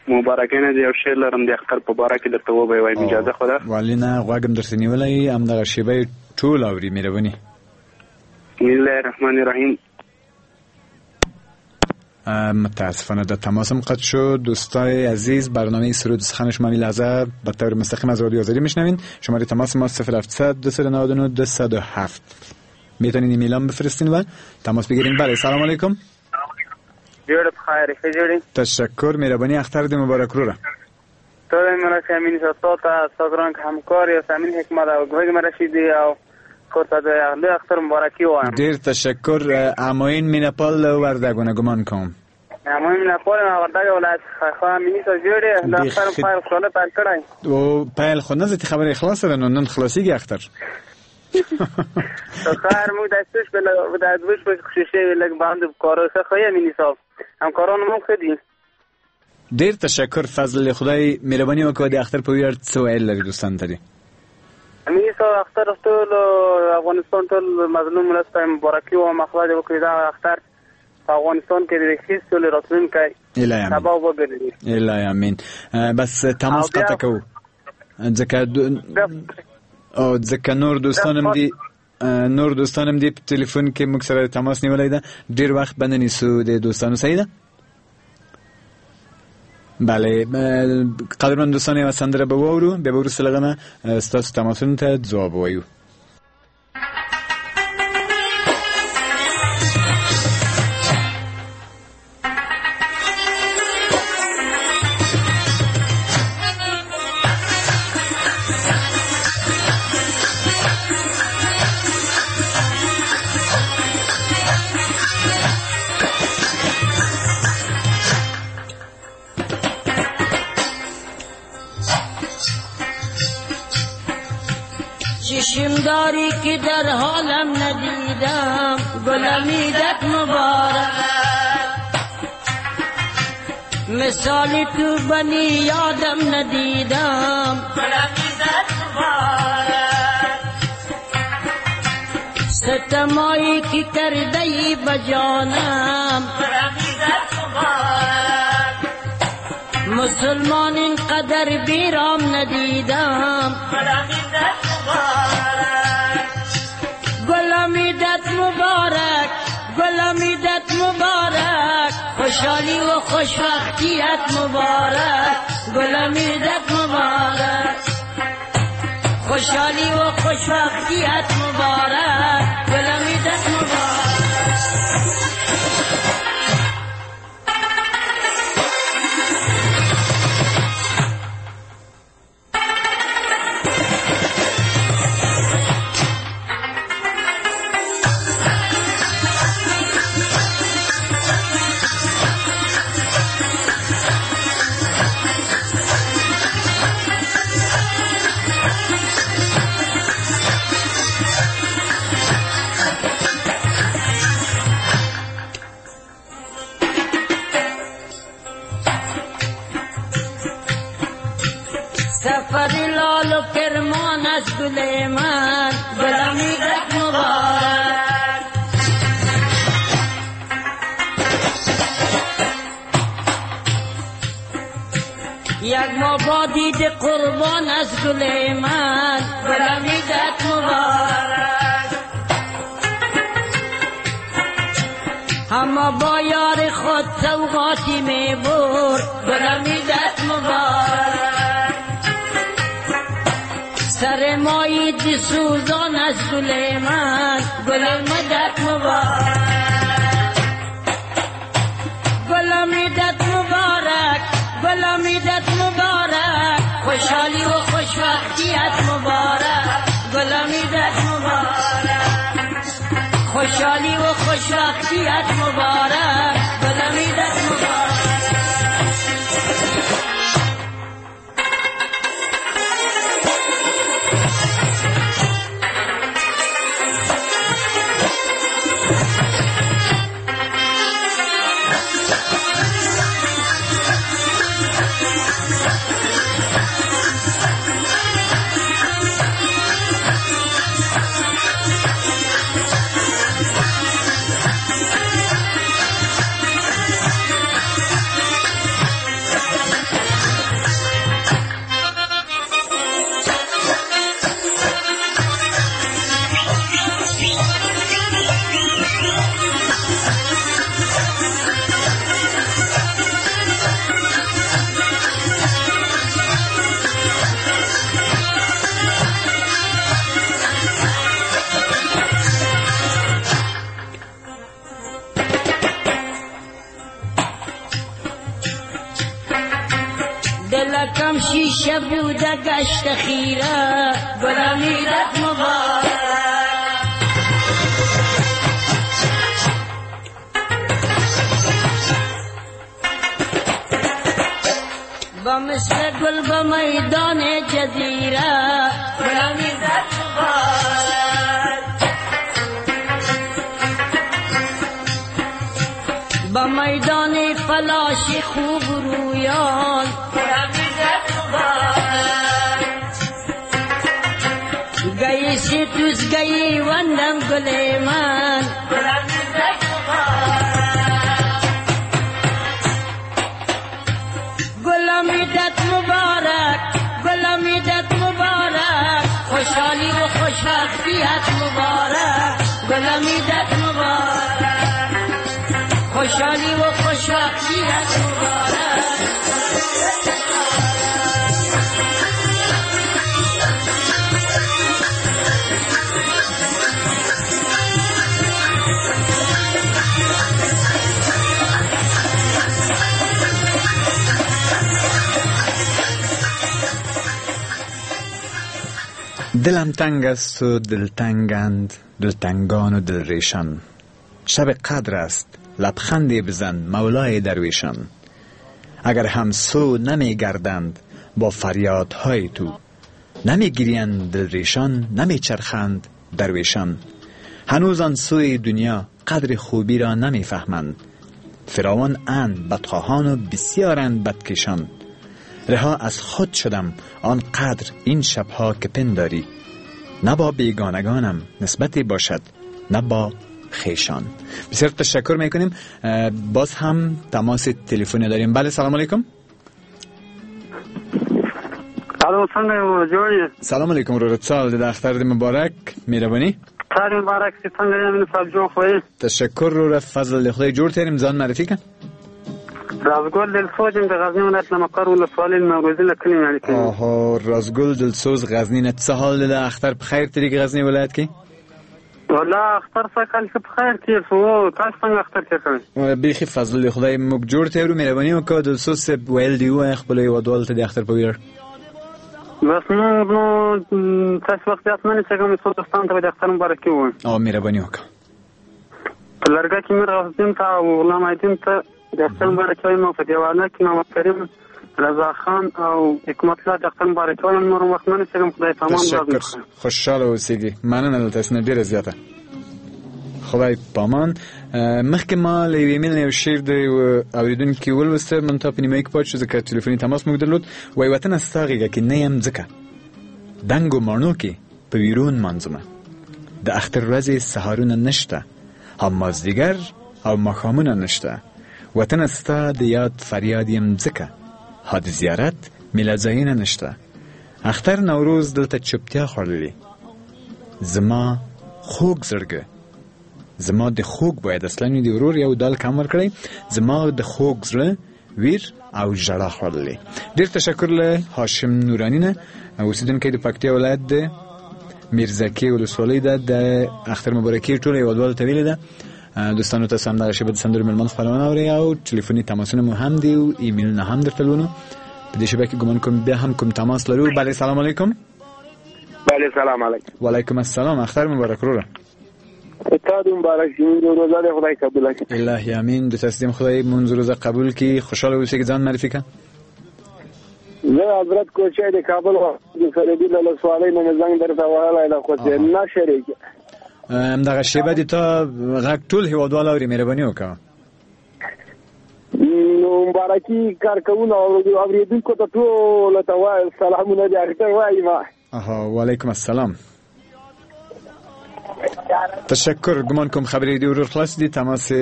مبارکۍ نه یو شعر لرم د اختر په باره کې درته وبه وایم، اجازه خو ده؟ ولې نه، غوږ هم درته نیولی، همدغه شېبه یې ټول اوري. مهرباني. بسم الله الرحمن الرحیم. متاسفانه در تماسم قطع شد. دوستای عزیز، برنامه سرود سخن شما این لحظه به طور مستقیم از رادیو آزادی میشنوین. شماره تماس ما 0700 299 207. میتونین ایمیل هم بفرستین و تماس بگیرین. بله، سلام علیکم. جوړ په خیر، ښه جوړې؟ تشکر، مهرباني. اختر دې مبارک وروره. ټول مرسته امین صاحب ته، ستا ګران همکار یاسمین حکمت او ګوګ مرشیدي او کور ته د لوی اختر مبارکي وایم. ډیر تشکر. اماین مینه‌پال وردګونه ګمان کوم. اماین مینه‌پال وردګ ولایت. خو امیني صاحب جوړې؟ د اختر پیل خوشحاله پیل کړی. او پیل خو نه ځه، خبره خلاصه ده، نو نن خلاصیږي اختر. خیر، موږ د څه شپې د دوه شپې خوشي شوي لږ باندې کارو ښه خو امیني صاحب همکاران مو ښه دي. ډیر تشکر فضل خدای، مهرباني وکړه. د اختر په ویاړ څه ویل لري دوستان ته دي؟ امیني صاحب، اختر ټول افغانستان ټول مظلوم ولس ته مبارکي وایم. خدای دې وکړي دا اختر په افغانستان کې د ښې سولې راتلونکی سبب وګرځي. الهي امین. بس تماس قطع کوو ځکه او ځکه نور دوستان هم دي، نور دوستان هم دي په تلیفون کې موږ سره تماس نیولی ده. ډیر وخت به نه نیسو د دوستانو. صحیح ده؟ بله، قدرمن دوستان، یوه سندره به واورو، بیا به وروسته له هغه نه ستاسو تماسونو ته ځواب ووایو. چشم داری که در حالم ندیدم، گلم عیدت مبارک. مثال تو بنی یادم ندیدم، گلم عیدت مبارک. ستمایی که کرده ای بجانم، گلم عیدت مبارک. مسلمان اینقدر بیرام ندیدم، گلم عیدت مبارک. گلم عیدت مبارک، گلم عیدت مبارک. خوشحالی و خوشبختیت مبارک، گلم عیدت مبارک. خوشحالی و خوشبختیت مبارک، گلم عیدت مبارک. سفر لال و کرمان از گل من، گلم عیدت مبارک. یک ماه با دید قربان از گل من، گلم عیدت مبارک. همه با یار خود سوغاتی می برد، گلم عیدت مبارک. سر مایی دی سوزان از گل من، گل مدد مبارک. گلم عیدت مبارک، گلم عیدت مبارک. خوشحالی و خوشبختیت مبارک، گلم عیدت مبارک. خوشحالی و خوشبختیت مبارک، گلم عیدت مبارک. همیشه بوده گشت خیره، گلم عیدت مبارک. با مثل گل با میدان جزیره، گلم عیدت مبارک. با میدان فلاش خوب رویان، گلم عیدت مبارک. گئی سی توس گئی وندم گل من، گلم عیدت مبارک. گلم عیدت مبارک، گلم عیدت مبارک، خوشحالی و خوشبختیت مبارک، گلم عیدت مبارک، خوشحالی و خوشبختیت مبارک. دلم تنگ است و دلتنگند دلتنگان و دلریشان، شب قدر است لبخندی بزن مولای درویشان. اگر همسو نمی گردند با فریادهای تو، نمی گریند دلریشان نمی چرخند درویشان. هنوز آن سوی دنیا قدر خوبی را نمی فهمند، فراوان اند بدخواهان و بسیارند بدکشان. رها از خود شدم آن قدر این شبها که پنداری، نه با بیگانگانم نسبتی باشد نه با خیشان. بسیار تشکر میکنیم. باز هم تماس تلفنی داریم. بله سلام علیکم. الو څنګه جوړ یې؟ سلام علیکم وروره، څه حال دی؟ د اختر دې مبارک. مهرباني. اختر مبارک. څنګه یې امین صاحب، جوړ خو یې؟ تشکر وروره، فضل د خدای جوړ تیریم. ځان معرفي که. رازګل دلسوز یم د غزني ولایت له مقر ولسوالۍ نوروزي له کلي نه لیکم. آها، رازګل دلسوز غزني نه. څه حال دی؟ د اختر په خیر تېرېږي غزني ولایت کې؟ والله اختر سږ کال ښه په خیر تېر شو. تاسو څنګه اختر تېر کړی؟ بیخي فضل خدای موږ جوړ تېرو. مهرباني وکړه دلسوز صاحب، ویل دي ووایه خپلو هېوادوالو ته د اختر په ویاړ. بس نور نو تاسو وخت زیات نه نیسم، څو دوستانو ته به د اختر مبارکي ووایم. او مهرباني وکړه. په لرګه کې میر غوث ته او غلام عیدین ته د اختر مبارکي وایم، او په دیوانه کې محمد کریم رضا خان او حکمت الله د اختر مبارکي وایم. نور وخت نه نیسم، خدای په امان. تشکر، خوشحاله اوسېږي. مننه له تاسو نه ډېره زیاته، خدای پامان. مخکې ما له یوې ایمیل نه یو شعر د یوه اورېدونکي ولوسته، منتها په نیمایي کې پاتې شو ځکه ټلیفوني تماس موږ درلود. وایي وطنه ستا غېږه کې نه یم ځکه دنګو ماڼو کې په ویرو نمانځمه، د اختر ورځې سهارونه نشته، هم مازدیګر او ماښامونه نشته، وطنه ستا د یاد فریاد یم ځکه ها د زیارت میله ځایونه نشته، اختر نوروز دلته چوپتیا خوړلې، زما خوږ زړګی، زما د خوږ باید اصلا د ورور یو دال کم ورکړی، زما د خوږ زړه ویر او ژړا خوړلې. ډېر تشکر له هاشم نوراني نه، اوسېدونکی د پکتیا ولایت د میرزکې ولسوالۍ ده. د اختر مبارکي ټولو هېوادوالو ته ویلې ده. دوستانو تاسو هم دغه شېبه د سندرو مېلمان خپرونه اورئ او ټلیفوني تماسونه مو هم دي او ایمیلونه هم درته لولو. په دې شېبه کې ګمان کوم بیا هم کوم تماس لرو. بله سلام علیکم. بله سلام علیکم. وعلیکم السلام. اختر مبارک وروره. تا دې مبارک شي، مونږ روزه دې خدای قبول کړي. الهي امین. د تسلیم خدای مونږ روزه قبول کړي. خوشحاله اوسئ. ځان معرفي کړه. زه حضرت کوچی د کابل د سربي له ولسوالۍ نه مې زنګ درته وهلی ده، خو چې نه شریک. همدغه شېبه دې تا غږ ټول هېوادوال اوري، مهرباني وکړه. نو مبارکي کارکوونو او اورېدونکو ته ټولو ته وایم سلامونه دې اختر وایم. آها، وعلیکم السلام. تشکر. ګمان کوم خبرې دې ورور خلاص دي، تماس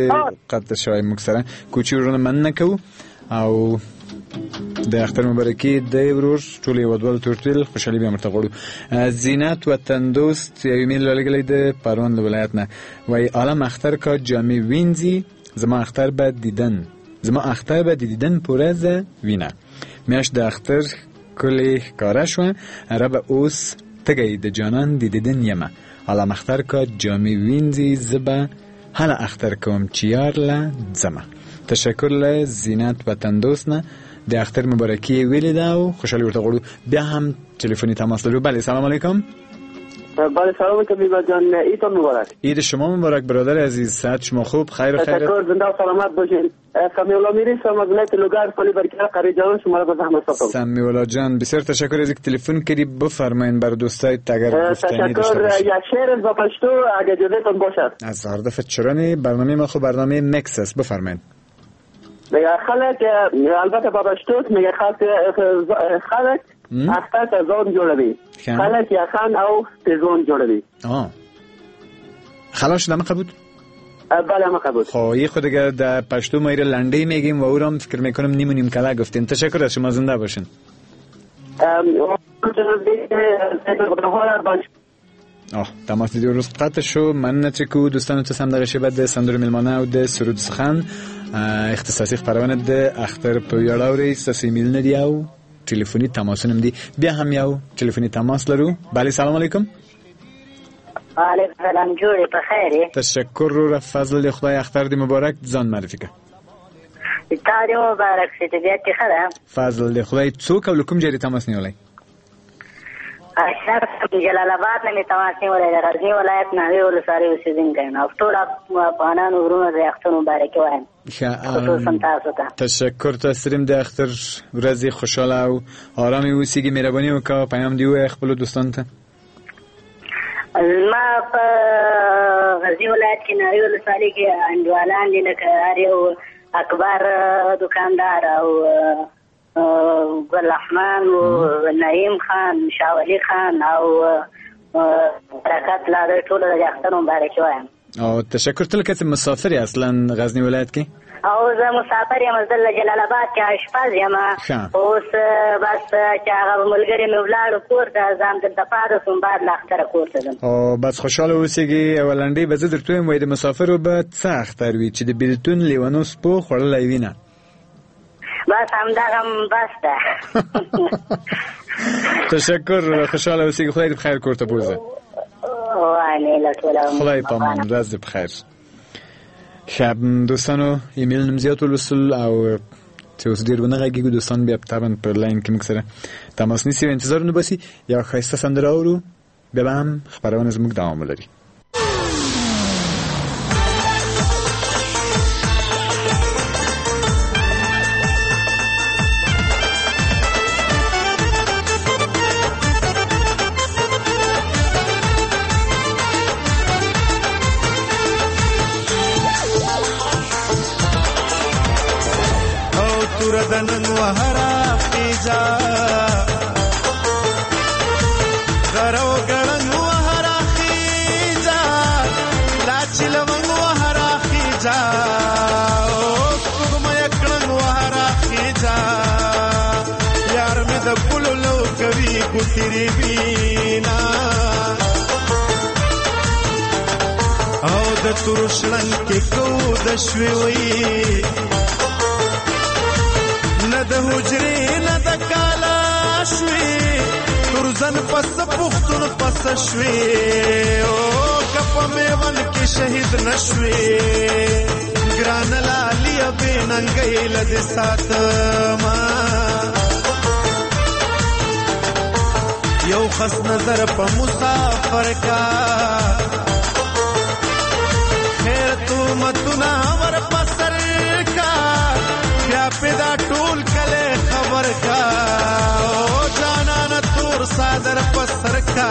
قطع شوی موږ سره. کوچي ورونه مننه کوو او د اختر مبارکي د ورور ټول هېوادوالو ته ورتویل، خوشحالي بیا ورته غواړو. زینت وطندوست یو ایمیل رالیږلی د پروان له ولایت نه، وایي عالم اختر کا جامې وینځي، زما اختر به دیدن، زما اختر به د دیدن په ورځ وینه، میاشت د اختر ښکلې ښکاره شوه، ربه اوس تږی د جانان د دیدن یمه، عالم اختر کا جامې وینځي، زه به هله اختر کوم چې یار له ځمه. تشکر له زینت وطندوست نه د اختر مبارکي ویلې ده او خوشحالي ورته غواړو. بیا هم تلفني تماس لرو. بله، سلام علیکم. بله، سلام علیکم میلاد جان، عیدتون مبارک. عید شما مبارک برادر عزیز، صحت شما خوب؟ خیر و خیر. تشکر، زنده و سلامت باشین. سمیع الله میری سلام از ولایت لوگر پلی برکه قریه جان شما را به زحمت سپردم. سمیع الله جان، بسیار تشکر از اینکه تلفن کردی. بفرمایین بر دوستای اگر گفتنی داشته تشکر. یک شعر با پشتو اگه اجازهتون باشد. از هر دفعه چرا برنامه ما خو برنامه مکس است، بفرمایین. میگه خلک، البته با پشتو میگه خلک اختر ته ځان جوړوي، خلک یخن او تیزون جوړوي. خلاص شد همه بود؟ بله همه بود. خب خود دیگه در پشتو ما ایره لنډی میگیم و او را فکر میکنم نیم و نیم کله گفتیم. تشکر از شما، زنده باشین. تماس دیگه روز قطع شو. مننه چې کو دوستانو ته سم دغه شیبه د سندرو میلمانه او د سرود سخن اختصاصي خپرونه د اختر په ویاړ اورئ. ستاسو ایمیلونه دي او تلفني تماسونه هم دي. بیا هم یو تلفني تماس لرو. بله، سلام علیکم. وعلیکم سلام، جوړې په خیر یې؟ تشکر وروره، فضل د خدای، اختر دې مبارک. ځان معرفي کړه. تا دې مبارک شي، طبیعت دې ښه ده؟ فضل د خدای. څوک او له کوم ځای دې تماس نیولی؟ اشرف جلال آباد نه مې تماس نیولی، د غزني ولایت ناوې ولسوالۍ اوسېدونکی یم. او ټول افغانانو وروڼو د اختر مبارکي وایم، خصوصا تاسو ته. تشکر، تاسو د اختر ورځې خوشحاله او آرامې اوسېږي. مهرباني وکړه پیام دې ووایه خپلو دوستانو ته. زما په غزني ولایت کې ناوې ولسوالۍ کې انډیوالان دي، لکه هر یو اکبر دکاندار او ګل رحمان و نعیم خان، شاولي خان او برکت لا د ټولو د اختر مبارکي وایم. او تشکر. تل که مسافر اصلا غزنی ولایت کې؟ او زه مسافر یم، زه له جلال آباد کې اشپز یم. اوس بس چې هغه ملګري مې ولاړو کور ته، زه هم دلته پاتې شوم، بعد له اختره کور ته ځم. او بس خوشحاله اوسېږي. یوه لنډۍ به زه درته ووایم، وایي د مسافرو به څه اختر وي چې د بېلتون لیونو سپو خوړلی وینه. بس همدغه بس ده. تشکر، خوشحاله اوسېږي، خدای دې په خیر کور ته بوځه. خدای پامان، ورځ دې په خیر. ښه دوستانو، ایمیل نوم زیات ولوستل او چې اوس ډېر ونه غږېږو، دوستان بیا طبعا په لاین کې موږ سره تماس نیسي او انتظار نه باسي. یوه ښایسته سندره اورو، بیا به هم خپرونه زموږ دوام ولري. او د تور شړنګ کې کو د شوي وي، نه د حجرې نه د کالا شوي، تور ځن پس پښتون پس شوي، او کپ میون کې شهید نشوي، ګران لالی به ننګې لد ساتما. یو خس نظر په مسافر کا، خیر تو متنا ور پسر کا، بیا پیدا ټول کله خبر کا، او جانان تور صادر پسر کا،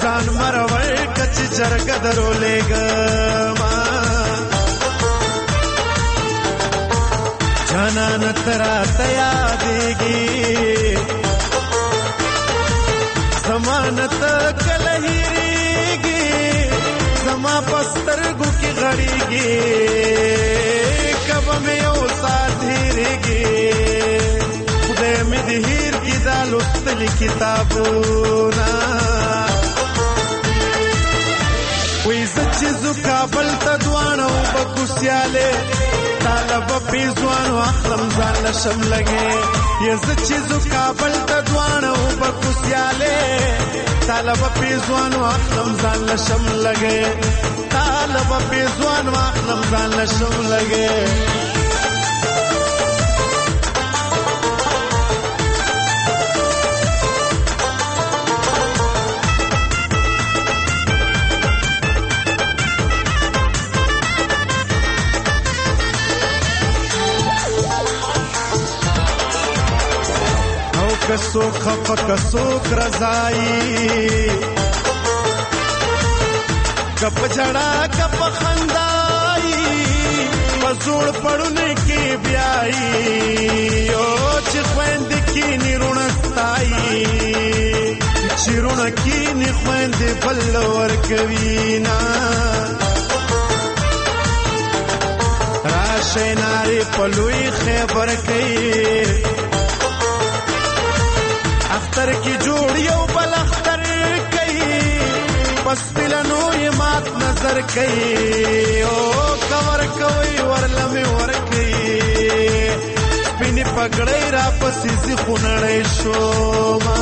ځان مرور کچ جرګ درو لګما. جانان ترا تیا دیږي زمانت کله هیریږي، زما پسترګو کې غړیږي، کبه مې یو ساعت هیریږي، خدای مې دې هیر کړي دا لوستلي کتابونه. وایي زه چې ځو کابل ته دواړه وبه کوسیالې، طالب پیزوانو اخلم ځان له شم لګې، زه چې ځو کابل ته دواړه وبه کوسیالې، طالب پیزوانو اخلم ځان له شم لګې، طالب پیزوانو اخلم ځان له شم لګې. څوک خفه که څوک رضایي، که په ژړا که په خندایي، په زوړ پړوني کې بیایي. او چې خویندې کښېني روڼه ستایي، چې روڼه کښېني خویندې بل ورکوي نه. راشئ نارې په لوی خیبر کوي، اختر کې جوړ یو بل اختر کوي، پس پلنو یې مات نظر کوي. او که ورکوي ورله مې ورکوي، سپینې پګړۍ راپسې ځي خونړی شومه.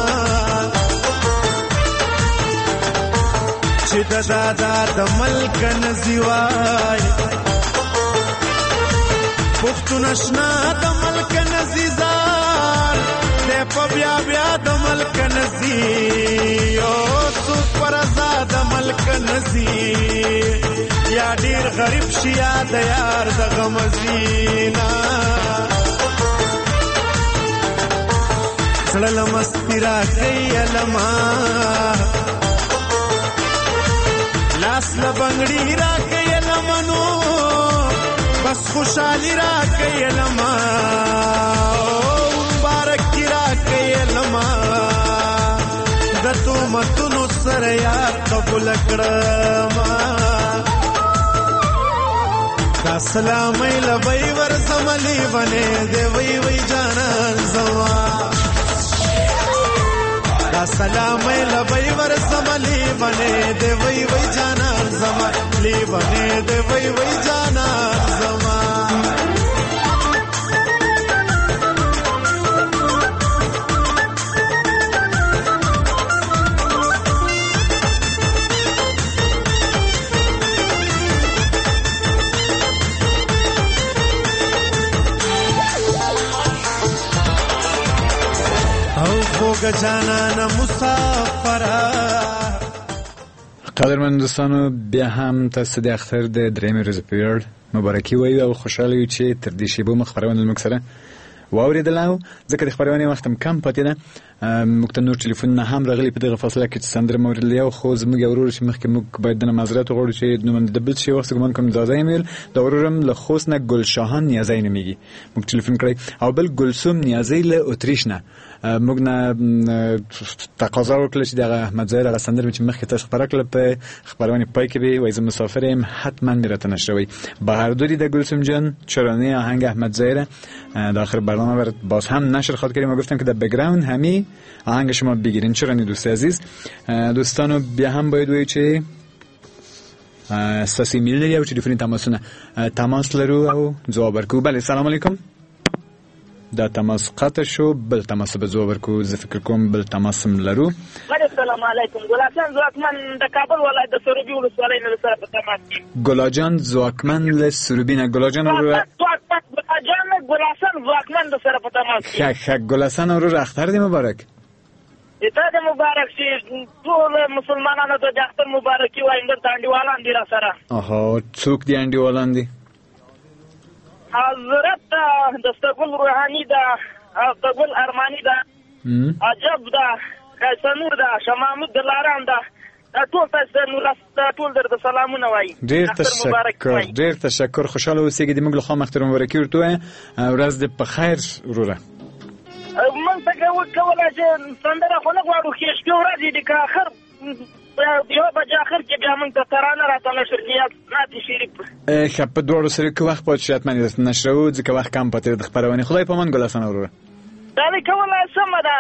چې د دادا د ملک نه ځي وای، پښتون اشنا د ملک نه ځي ځار دی په بیا بیا د ملک نه ځي. او څوک په رضا د ملک نه ځي، یا ډېر غریب شي یا د یار د غم ځي نه. زړه له مستي راکوي الما، لاس له بنګړي راکوي لمنو، بس خوشحالي راکوي لما، مبارکي راکوي لما. د تهمتونو سره یار قبول کړمه، دا سلامۍ له به یې ورځم لیونی دی وی وی جانان زما. دا سلامۍ له به یې ورځم لیونی دی وی وی جانان زما، لیونی دی وی وی جانان زما. قدرمن دوستانو، بیا هم تاسو د اختر د درېیمې ورځې په ویاړ مبارکي وایو او خوشحاله یو چې تر دې شیبو مو خپرونه له موږ سره واورېدله. او ځکه د خپرونې وخت هم کم پاتې ده، موږ ته نور ټلیفونونه هم راغلي په دغه فاصله کې چې سندره مو اورېدلې. یو خو زموږ یو ورور چې مخکې موږ باید دنه معذرت وغواړو چې نوم د بل شي وخت ګمان کوم ځاځی مې ویل، دا ورور هم له خوست نه ګلشاهان نیازی نومېږي، موږ ټلیفون کړی. او بل ګلثوم نیازی له اتریش نه موږ نه تقاضا وکړه چې دغه احمد ظاهر هغه سندره چې مخکې تاسو خپره کړله په خپرونې پای کې به وایي زه مسافر یم، حتما مې راته نشروي. بهردوری د گلثوم جان چرانه آهنگ احمد ظاهر در آخر برنامه برات باز هم نشر خواهد کردیم و گفتم که در بک‌گراند همی آهنگ شما بگیرین. چرانی دوست عزیز، دوستانو بیا هم باید وایو چې ستاسو ایمیل لري او ټلیفوني تماسونه تماس لرو او ځواب ورکوو. بله، سلام علیکم. دا تماس قطع شو، بل تماس به ځواب ورکوو. زه فکر کوم بل تماس هم لرو. سلام علیکم، ګلاجان ځواکمن د کابل ولایت د سروبي ولسوالۍ نه سره په تماس کې. ګلاجان ځواکمن له سروبي نه. ګلاجان وروره، ګلاجان ګلاسن ځواکمن د سره په تماس کې. ښه ښه ګلاسن وروره، اختر دې مبارک. تا دې مبارک شي، ټول مسلمانانو ته د اختر مبارکي وایم. دلته انډیوالان دي را سره. آها، څوک دي انډیوالان دي؟ حضرت دستګل روحاني ده، دستګل ارماني ده، عجب ده، قیصنور ده، شاه محمود دلارام ده، دا ټول تاسو ته ټول درته سلامونه وایي. ډېر تشکر، ډېر تشکر، خوشحاله اوسېږئ. د موږ له خوا اختر مبارکي ورته ووایه. ورځ دې په خیر وروره. موږ ته کولی چې سندره خو نه غواړو، ښې شپې ورځې دي، که اخر یوه بجه اخر کې بیا موږ ته ترانه راته نشر کړي یا نعت شریف. ښه، په دواړو سره که وخت پاتې شي حتما یې درته نشروو، ځکه وخت کم پاتې دی د خپرونې. خدای پامان ګل حسن وروره. دا مې کولی سمه ده.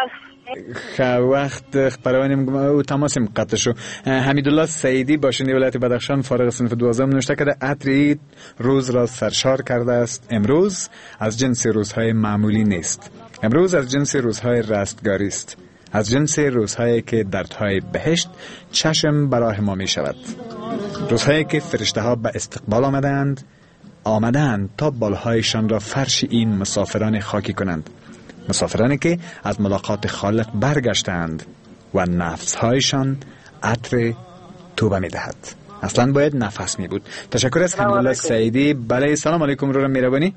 ښه، وخت خپرونې او تماس قطع شو. حمیدالله سعیدی باشنده ولایت بدخشان فارغ صنف 12 نوشته کرده عطر عید روز را سرشار کرده است. امروز از جنس روزهای معمولی نیست، امروز از جنس روزهای رستگاری است، از جنس روزهایی که دردهای بهشت چشم براه ما می شود، روزهایی که فرشته ها به استقبال آمدند تا بالهایشان را فرش این مسافران خاکی کنند، مسافرانی که از ملاقات خالق برگشتند و نفسهایشان عطر توبه می دهد. اصلا باید نفس می بود. تشکر از حمیدالله سعیدی. بله، سلام علیکم. رو میربانی.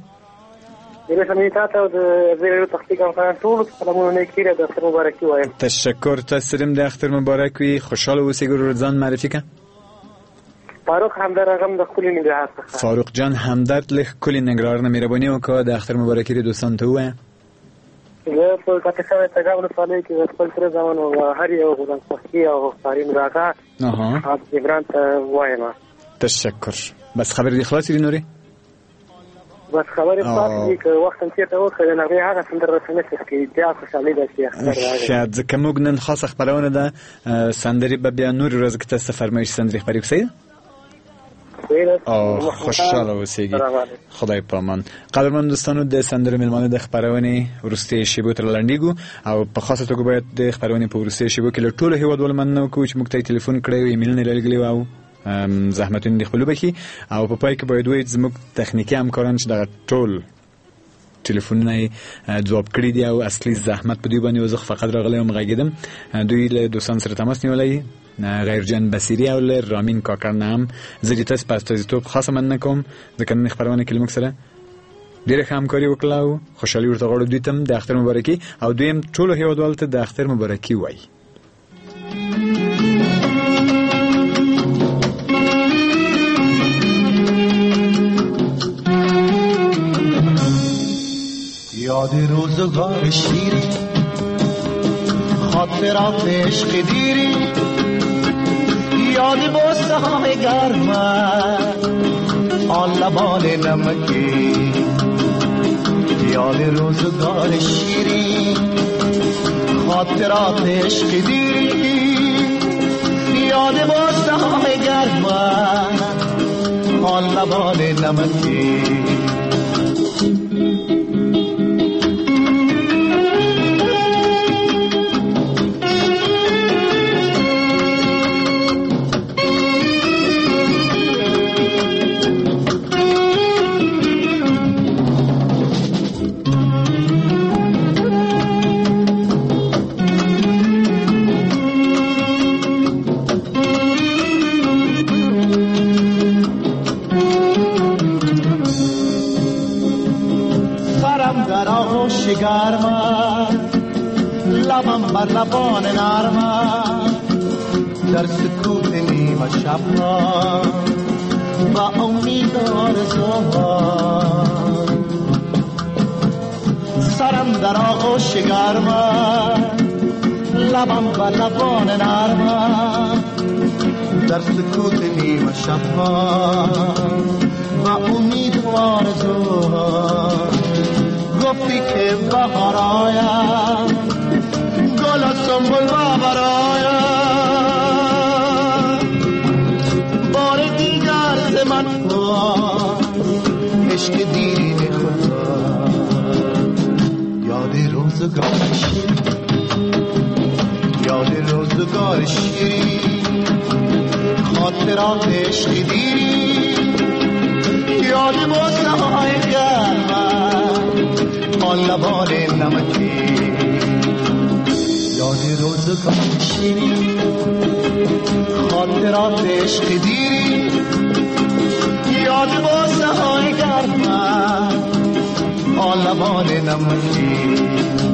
تشکر، تاسو هم د اختر مبارک وي. خوشاله اوسئ ورور، ځان معرفي کړه. فاروق همدرد غم د ښکلي ننګرهار څخه. فاروق جان همدرد له ښکلي ننګرهار نه، مهرباني وکړه د اختر مبارکي دې دوستانو ته ووایه. زه په کاپیسا تګاب ولسوالۍ کې د خپل تره زامن او هر یو غلام سخي او فارین راغا عمران ته وایم. تشکر. بس خبرې دې خلاصې دي نورې؟ بس خبرې خلاصې دي، که وخت هم چېرته وکړه د نغمې هغه سندره راته نه څښکي، بیا خوشحالي ده چې اختر راغی. ښه، ځکه موږ نن خاصه خپرونه ده، سندرې به بیا نورې ورځو کې تاسو ته فرمایش سندرې خپرې کړو. صحیح ده؟ او خوشحاله اوسېږي، خدای پامان. قدرمن دوستانو، د سندرو میلمانه د خپرونې وروستۍ شیبو ته لنډیږو او په خاصه توګه باید د خپرونې په وروستۍ شیبو کې له ټولو هیوادوالو مننه وکړو چې موږ ته یې تلیفون کړی او ایمیلونه یې رالیږلي او زحمتونه دې خپل وبخښي. او په پای کې باید ووایو چې زموږ تخنیکي همکاران چې دغه ټول ټلیفونونه یې ځواب کړي دي او اصلي زحمت په دوی باندې و، زه خو فقط راغلی وم غږېدم، دوی له دوستانو سره تماس نیولی، غیر جان بصیري او له رامین کاکړ نه هم زه د تاسو په استازیتوب خاصه مننه کوم، ځکه نن خپرونه کې له موږ سره ډېره ښه همکاري وکړه او خوشحالي ورته غواړو. دوی ته هم د اختر مبارکي او دوی هم ټولو هیوادوالو ته د اختر مبارکي وایي. یاد روزگار شیرین، خاطرات عشق دیرین، یاد بوسه های گرمت، آن لبان نمکی، یاد روزگار شیرین، خاطرات عشق دیرین، یاد بوسه های گرمت، آن لبان نمکی. گرمت، لبم بر لبان نرمت، در سکوت نیمه شب ها با امید آرزوها، سرم در آغوش گرمت، لبم بر لبان نرمت، در سکوت نیمه شب ها با امید آرزوها. گفتی که بهار آید، گل و سنبل بر آید، بار دیگر ز من خواست عشق دیرین خدا. یاد روزگار شیرین، یاد روزگار شیرین، خاطرات عشق دیرین، یاد بوسه های گرمت، آن لبان نمکی، یاد روزگار شیرین، خاطرات عشق دیرین، یاد بوسه های گرمت، آن لبان نمکی.